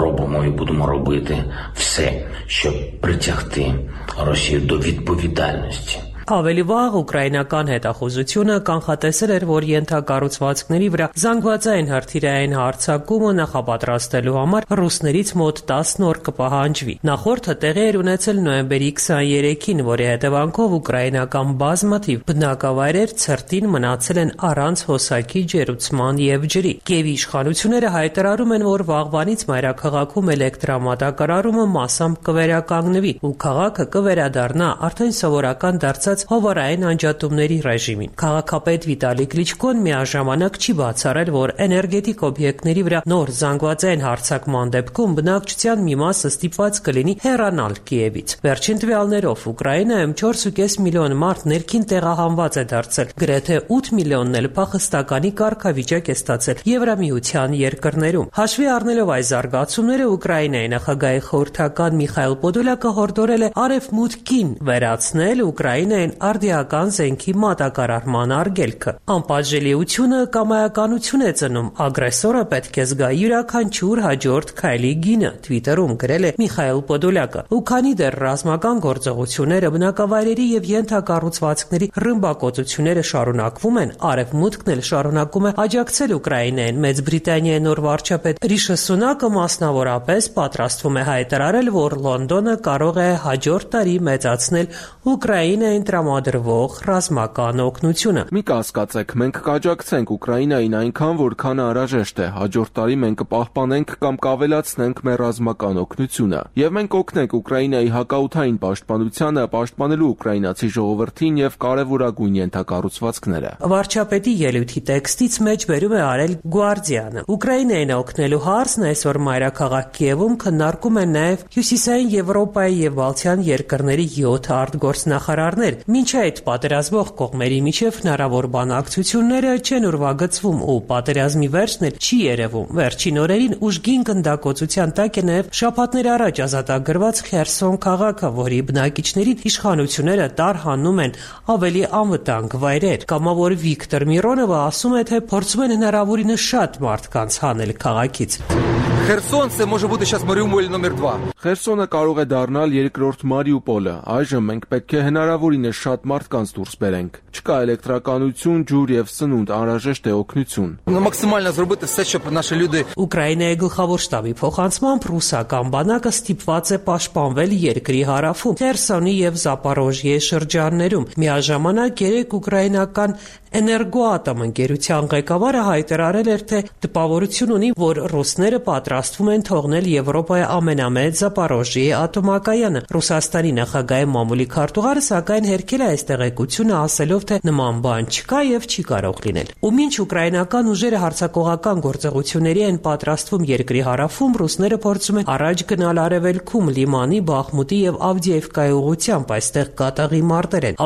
H: Робимо і будемо робити все, щоб притягти Росію до відповідальності.
F: Ավելի վաղ ուկրաինական հետախուզությունը կանխատեսել էր, որ ենթակառուցվածքների վրա զանգվածային հրթիռային հարձակումը նախապատրաստելու համար ռուսներից մոտ 10 օր կպահանջվի։ Նախորդը տեղի էր ունեցել նոյեմբերի 23-ին, որի հետևանքով ուկրաինական բազմաթիվ բնակավայրեր ցրտին մնացել են առանց հոսակի, ջերուցման եւ ջրի։ Կիևի իշխանությունները հայտարարում են, որ վաղվանից մայրաքաղաքում էլեկտրամատակարարումը մասամբ կվերականգնվի ու քաղաքը կվերադառնա արդեն սովորական դարձած հովարային անջատումների ռեժիմին։ Քաղաքապետ Վիտալի Կլիչկոն միաժամանակ չի բացառել, որ էներգետիկ օբյեկտների վրա նոր զանգվածային հարձակման դեպքում բնակչության մի մասը ստիպված կլինի հեռանալ Կիևից։ Վերջին տվյալներով Ուկրաինայում 4.5 միլիոն մարդ ներքին տեղահանված է դարձել, գրեթե 8 միլիոնն էլ փախստականի կարգավիճակ է ստացել Եվրամիության երկրներում։ Հաշվի առնելով այս զարգացումները, Ուկրաինայի նախագահի խորհրդական Միխայել Պոդոլյակը հորդորել է արևմուտքին վերացնել Ուկրաինայի արդիական զենքի մատակարարման արգելքը։ Անպատժելիությունը կամայականություն է ծնում, ագրեսորը պետք է զգա յուրաքանչյուր հաջորդ քայլի գինը, Twitter-ում գրել է Միխայել Պոդոլյակը։ Ու քանի դեռ ռազմական գործողությունները, բնակավայրերի եւ ենթակառուցվածքների ռմբակոծությունները շարունակվում են, արևմուտքն էլ շարունակում է աջակցել Ուկրաինային։ Մեծ Բրիտանիայի նոր վարչապետ Ռիշի Սունակը մասնավորապես պատրաստվում է հայտարարել, որ Լոնդոնը կարող է հաջորդ տարի մեծացնել Ուկրաինային տրամադրվող ռազմական օգնությունը։
G: Մի կասկածեք, մենք կաջակցենք Ուկրաինային այնքան, որքան անհրաժեշտ է։ Հաջորդ տարի մենք կպահպանենք կամ կավելացնենք մեր ռազմական օգնությունը։ Եվ մենք կօգնենք Ուկրաինայի հակաօդային պաշտպանությանը, պաշտպանելու ուկրաինացի ժողովրդին եւ կարեւորագույն ենթակառուցվածքները։
F: Վարչապետի ելույթի տեքստից մեջ բերում է արել Guardian-ը։ Ուկրաինային օգնելու հարցն այսօր մայրաքաղաք Կիևում քննարկում են նաեւ Հյուսիսային Եվրոպայի եւ Բալթյան երկրների 7 արտգործնախարարներ։ Մինչ այդ պատերազմող կողմերի միջև հնարավոր բանակցությունները չեն ուրվագծվում ու պատերազմի վերջն էլ չի երևում։ Վերջին օրերին ուժգին գնդակոծության տակ է նաև շաբաթներ առաջ ազատագրված Խերսոն քաղաքը, որի բնակիչներին իշխանությունները տարհանում են ավելի անվտանգ վայրեր։ Կամավոր Վիկտոր Միրոնովը ասում է, թե փորձում են հնարավորինս շատ մարդկանց հանել քաղաքից։
G: Խերսոն це може бути сейчас Մարիուպոլ նոմեր 2։ Խերսոնը կարող է դառնալ երկրորդ Մարիուպոլը։ Այժմ մենք պետք է հնարավորինս շատ մարդկանց դուրս բերենք։ Չկա էլեկտրականություն, ջուր եւ սնունդ, անհրաժեշտ է օգնություն։
X: Մաքսիմально зробити все, щоб наші люди
F: Ուկրաինայի գլխավոր շտաբի փոխանցմամբ ռուսական բանակը ստիպված է պաշտպանվել երկրի հարավում, Խերսոնի եւ Զապորոժիե շրջաններում։ Միաժամանակ երեք ուկրաինական Էներգոատոմ ընկերության ղեկավարը հայտարարել էր, թե տպավորություն ունի, որ ռուսները պատրաստվում են թողնել Եվրոպայի ամենամեծ Զապորոժիե ատոմակայանը։ Ռուսաստանի նախագահի մամուլի քարտուղարը սակայն հերքել է այս տեղեկությունը, ասելով, թե նման բան չկա եւ չի կարող լինել։ Ու մինչ ուկրաինական ուժերը հարձակողական գործողությունների են պատրաստվում երկրի հարավում, ռուսները փորձում են առաջ գնալ արևելքում Լիմանի, Բախմուտի եւ Ավդիևկայի ուղղությամբ, այստեղ կատաղի մարտեր են։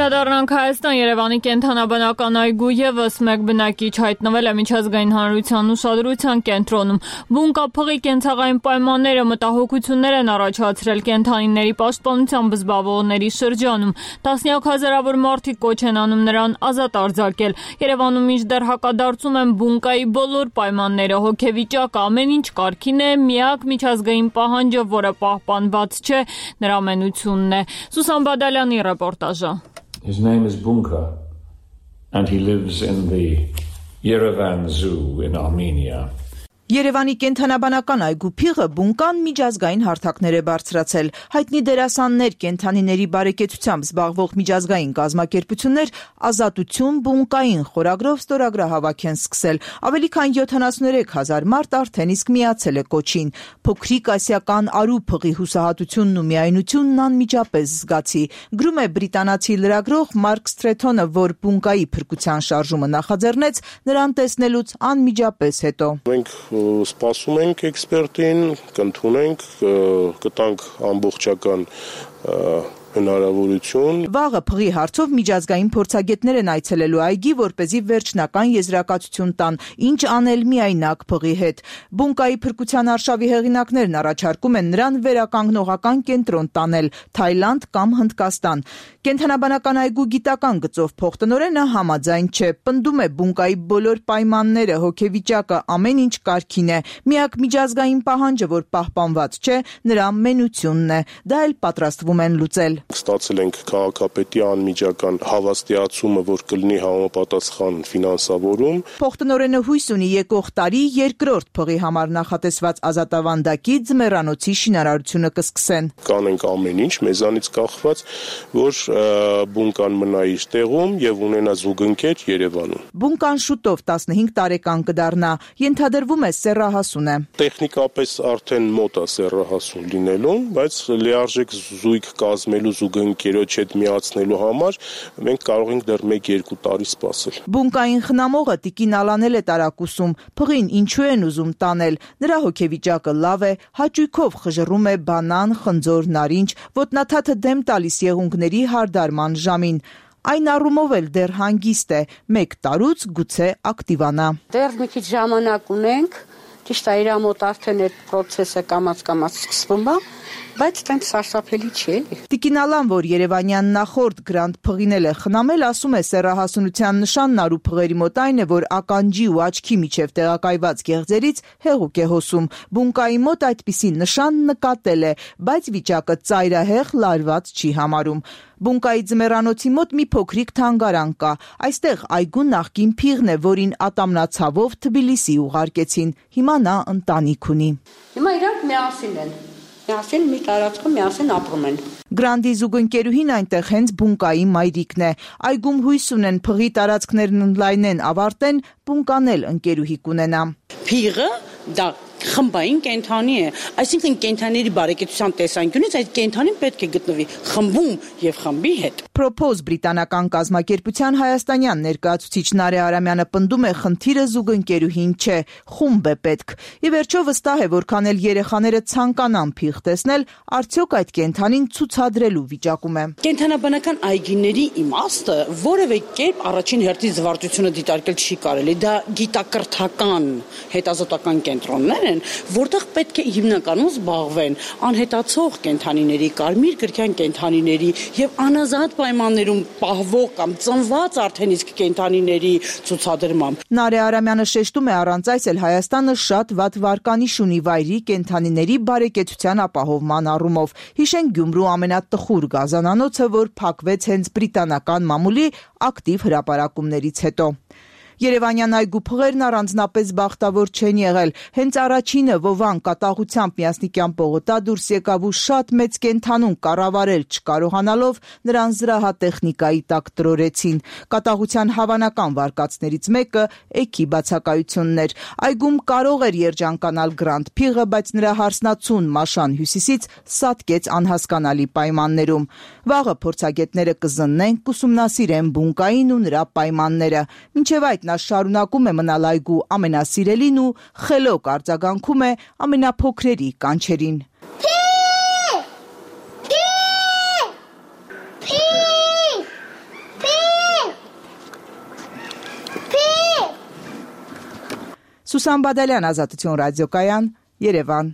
A: Վերադառնանք Հայաստան, Երևանի կենթանաբանական այգու եւս մեկ բնակիչ հայտնվել է միջազգային հանրության ուշադրության կենտրոնում։ Բունկափղի կենցաղային պայմանները մտահոգություններ են առաջացրել կենթանիների պաշտպանությամբ զբաղվողների շրջանում։ Տասնյակ հազարավոր մարդիկ կոչ են անում նրան ազատ արձակել։ Երևանում մինչդեռ հակադարձում են բունկայի բոլոր պայմանները, հոգեվիճակը, ամեն ինչ կարգին է, միակ միջազգային պահանջը, որը պահպանված չէ, նրա ամենությունն է։ Սուսան Բադալյանի ռեպորտաժը։
Y: His name is Bunka, and he lives in the Yerevan Zoo in Armenia.
C: Երևանի կենդանաբանական այգու փիղը բունկան միջազգային հարթակներ է բարձրացել։ Հայտնի դերասաններ, կենդանիների բարեկեցությամբ զբաղվող միջազգային կազմակերպություններ ազատություն բունկային խորագրով ստորագրահավաք են սկսել։ Ավելի քան 73,000 մարդ արդեն իսկ միացել է կոչին։ Փոքրիկ ասիական արու փղի հուսահատությունն ու միայնությունն անմիջապես զգացի։ Գրում է բրիտանացի լրագրող Մարկ Սթրեթոնը, որ բունկայի փրկության շարժումը նախաձեռնեց նրան տեսնելուց անմիջապես հետո։
I: Մենք սպասում ենք էքսպերտին, կընդունենք, կտանք ամբողջական հնարավորություն։
C: Վաղը փղի հարցով միջազգային փորձագետներ են այցելելու այգի, որպեսզի վերջնական եզրակացություն տան, ինչ անել միայնակ փղի հետ։ Բունկայի փրկության արշավի հեղինակներն առաջարկում են նրան վերականգնողական կենտրոն տանել՝ Թայլանդ կամ Հնդկաստան։ Կենդանաբանական այգու գիտական գծով փոխտնօրենը համաձայն չէ, պնդում է բունկայի բոլոր պայմանները, հոգեվիճակը, ամեն ինչ կարգին է։ Միակ միջազգային պահանջը, որ պահպանված չէ, նրա մենությունն է։ Դա էլ պատրաստվում են լուծել։
I: Ստացել ենք քաղաքապետի անմիջական հավաստիացումը, որ կլինի համապատասխան ֆինանսավորում։
C: Փոխտնօրենը հույս ունի եկող տարի երկրորդ փղի համար նախատեսված ազատավանդակի ձմեռանոցի շինարարությունը կսկսեն։
I: Կանենք ամեն ինչ մեզանից կախված, որ բունկան մնա իր տեղում եւ ունենա զուգընկեր Երևանում։
C: Բունկան շուտով 15 տարեկան կդառնա, ենթադրվում է սեռահասուն է։
I: Տեխնիկապես արդեն մոտ է սեռահասուն լինելուն, բայց լիարժեք զույգ կազմելու զուգընկերոջ հետ միացնելու համար մենք կարող ենք դեռ 1-2 տարի սպասել։
C: Բունկային խնամողը Տիկին Ալանել է տարակուսում, փղին ինչու են ուզում տանել։ Նրա հոգեվիճակը լավ է, հաճույքով խժռում է բանան, խնձոր, նարինջ, ոտնաթաթը դեմ տալիս եղունգների հարդարման ժամին։ Այն առումով էլ դեռ հանգիստ է, 1 տարուց գուցե ակտիվանա։
W: Դեռ մի քիչ ժամանակ ունենք, ճիշտ է, իր մոտ արդեն այդ process-ը կամաց սկսվում է, բայց տենց սարսափելի չէ։
C: Տիկին Ալան, որ Երևանյան նախորդ գրանդ փղինել է խնամել, ասում է սեռահասունության նշանն արու փղերի մոտ այն է, որ ականջի ու աչքի միջև տեղակայված գեղձերից հեղուկ է հոսում։ Բունկայի մոտ այդպիսի նշան նկատել է, բայց վիճակը ծայրահեղ լարված չի համարում։ Բունկայի ձմեռանոցի մոտ մի փոքրիկ թանգարան կա։ Այստեղ այգու նախկին փիղն է, որին ատամնացավով Թբիլիսի ուղարկեցին։ Հիմա նա ընտանիք ունի։
W: Հիմա իրանք միասին են։ Միասին մի տարածքում միասին ապրում են։
C: Գրանդի զուգընկերուհին այնտեղ հենց բունկայի մայրիկն է։ Այգում հույս ունեն փղի տարածքներն ընդլայնեն, ավարտեն, բունկանել ընկերուհի կունենա։
J: Փիղը դա խմբային կենդանի է, այսինքն կենդանիների բարեկեցության տեսանկյունից այդ կենդանին պետք է գտնվի խմբում եւ խմբի հետ։
C: Propose բրիտանական կազմակերպության հայաստանյան ներկայացուցիչ Նարե Արամյանը պնդում է, խնդիրը զուգընկերուհին չէ, խումբ է պետք։ Ի վերջո վստահ է, որքան էլ երեխաները ցանկանան փիղ տեսնել, արդյոք այդ կենդանին ցուցադրելու վիճակում է։
J: Կենդանաբանական այգիների իմաստը որևէ կերպ առաջին հերթին զվարճությունը դիտարկել չի կարելի, դա գիտակրթական հետազոտական կենտրոններ են, որտեղ պետք է հիմնականում զբաղվեն անհետացող կենդանիների, կարմիր գրքյան կենդանիների եւ անազատ պայմաններում պահվող կամ ծնված արդեն իսկ կենդանիների ցուցադրմամբ։
C: Նարե Արամյանը շեշտում է, առանց այս էլ Հայաստանը շատ վատ վարկանիշ ունի վայրի կենդանիների բարեկեցության ապահովման առումով։ Հիշենք Գյումրու ամենատխուր գազանանոցը, որ փակվեց հենց բրիտանական մամուլի ակտիվ հրապարակումներից հետո։ Երևանյան այգու փղերն առանձնապես բախտավոր չեն եղել։ Հենց առաջինը Վովան կատաղությամբ միասնիկյան պողոտա դուրս եկավ ու շատ մեծ կենդանուն կառավարել չկարողանալով նրան զրահատեխնիկայի տակ տրորեցին։ Կատաղության հավանական վարկածներից մեկը էքի բացակայությունն էր։ Այգում կարող էր երջանկանալ Գրանդ փիղը, բայց նրա հարսնացուն Մաշան Հյուսիսից սատկեց անհասկանալի պայմաններում։ Վաղը փորձագետները կզննեն, կուսումնասիրեն բունկային ու նրա պայմանները։ Մինչև այդ նա շարունակում է մնալ այգու ամենասիրելին ու խելոք արձագանքում է ամենափոքրերի կանչերին։ Սուսան Բադալյան, Ազատություն ռադիոկայան, Երևան։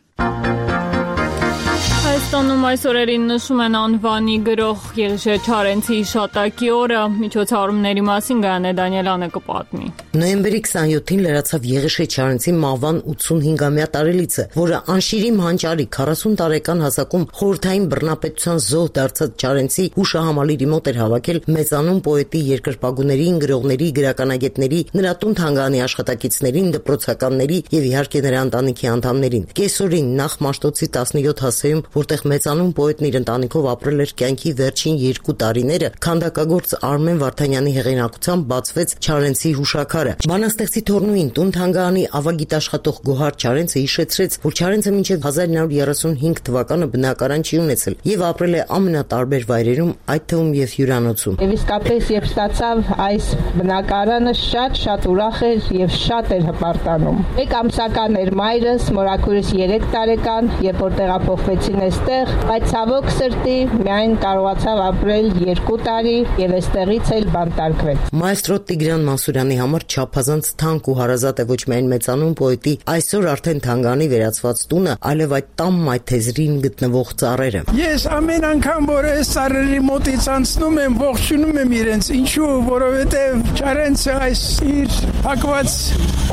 A: Հայաստանում այս օրերին նշում են անվանի գրող Եղիշե Չարենցի հիշատակի օրը, միջոցառումների մասին Գայանե Դանիելյանը կպատմի։
K: Նոյեմբերի 27-ին լրացավ Եղիշե Չարենցի մահվան 85-ամյա տարելիցը, որը անշիրիմ հանճարի 40 տարեկան հասակում խորհրդային բռնապետության զոհ դարձած Չարենցի հուշահամալիրի մոտ էր հավաքել մեծանուն պոետի, երկրպագուներին, գրողների, գրականագետների, նրա տուն թանգարանի աշխատակիցներին, դպրոցականների եւ իհարկե նրա ընտանիքի անդամներին։ Կեսօրին նախ Մաշտոցի 17 հասեում, որտեղ մեծանուն պոետն իր ընտանիքով ապրել էր կյանքի վերջին 2 տարիները, քանդակագործ Արմեն Վարդանյանի հեղինակությամբ բացվեց Չարենցի հուշաքարը։ Բանաստեղծի թորնուին տուն թանգարանի ավագիտաշխատող Գոհար Չարենցը հիշեցրեց, որ Չարենցը մինչև 1935 թվականը բնակարան չի ունեցել եւ ապրել է ամենատարբեր վայրերում, այդ թվում եւ հյուրանոցում։
L: Եվ իսկապես երբ ստացավ այս բնակարանը, շատ ուրախ էր եւ շատ էր հպարտանում։ Մեկ ամսական էր մայրս, մորաքուրս 3 տարեկան, երբ որ տեղափոխվեցին այստեղ, բայց ցավոք սրտի միայն կարողացավ ապրել 2 տարի եւ այստեղից էլ բանտարկվել։
K: Մայստրո Տիգրան Մանսուրյանի համար չափազանց թանկ ու հարազատ է ոչ միայն մեծանուն պոետի այսօր արդեն թանգարանի վերածված տունը, այլև այդ տան մայթեզրին գտնվող ծառերը։
M: Ես ամեն անգամ որ այս ծառերի մոտից անցնում եմ, ողջունում եմ իրենց, ինչու, որովհետեւ Չարենցը այս իր փակված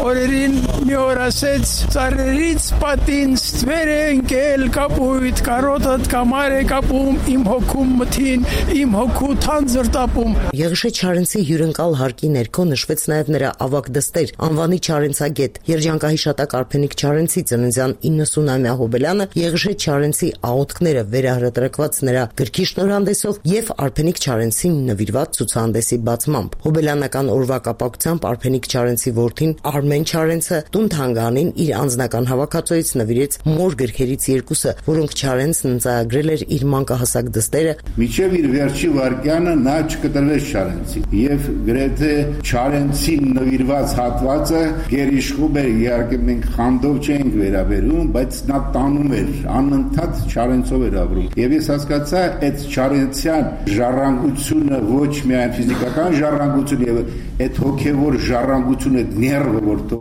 M: օրերին մի օր ասեց. ծառերից պատին ստվեր է ընկել կապույտ, կարոտդ կամար է կապում, իմ հոգում մթին, իմ հոգու թանձր տապում։
K: Եղիշե Չարենցի հյուրընկալ հարկի ներքո նշվեց նաև նրա ավագ դստեր, անվանի Չարենցագետ, երջանկահիշատակ Արփենիկ Չարենցի ծննդյան 90-ամյա հոբելյանը, Եղիշե Չարենցի աղոթքները վերահրատարակված նրա գրքի շնորհանդեսով եւ Արփենիկ Չարենցին նվիրված ցուցահանդեսի բացմամբ։ Հոբելյանական օրվա կապակցությամբ Արփենիկ Չարենցի որդին Արմեն Չարենցը տուն թանգարանին իր անձնական հավաքածոյից նվիրեց մոր գրքերից 2-ը, որոնք Չարենցն ընծայագրել էր իր մանկահասակ դստերը։
N: Միջև իր վերջի վարկյանը նա չկտրվեց Չարենցին եւ գրեթե Չարենցին նվիրված հատվածը գերիշխում էր, իհարկե մենք խանդով չենք վերաբերում, բայց նա տանում էր, անընդհատ Չարենցով էր ապրում։ Եվ ես հասկացա այդ Չարենցյան ժառանգությունը ոչ միայն ֆիզիկական ժառանգություն եւ այդ հոգեվոր ժառանգությունը ներվը որտո։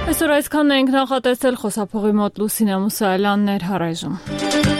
A: Այսօր այսքանն ենք նախատեսել, խոսափողի մոտ Լուսինե Մուսայելյանն էր, առայժմ։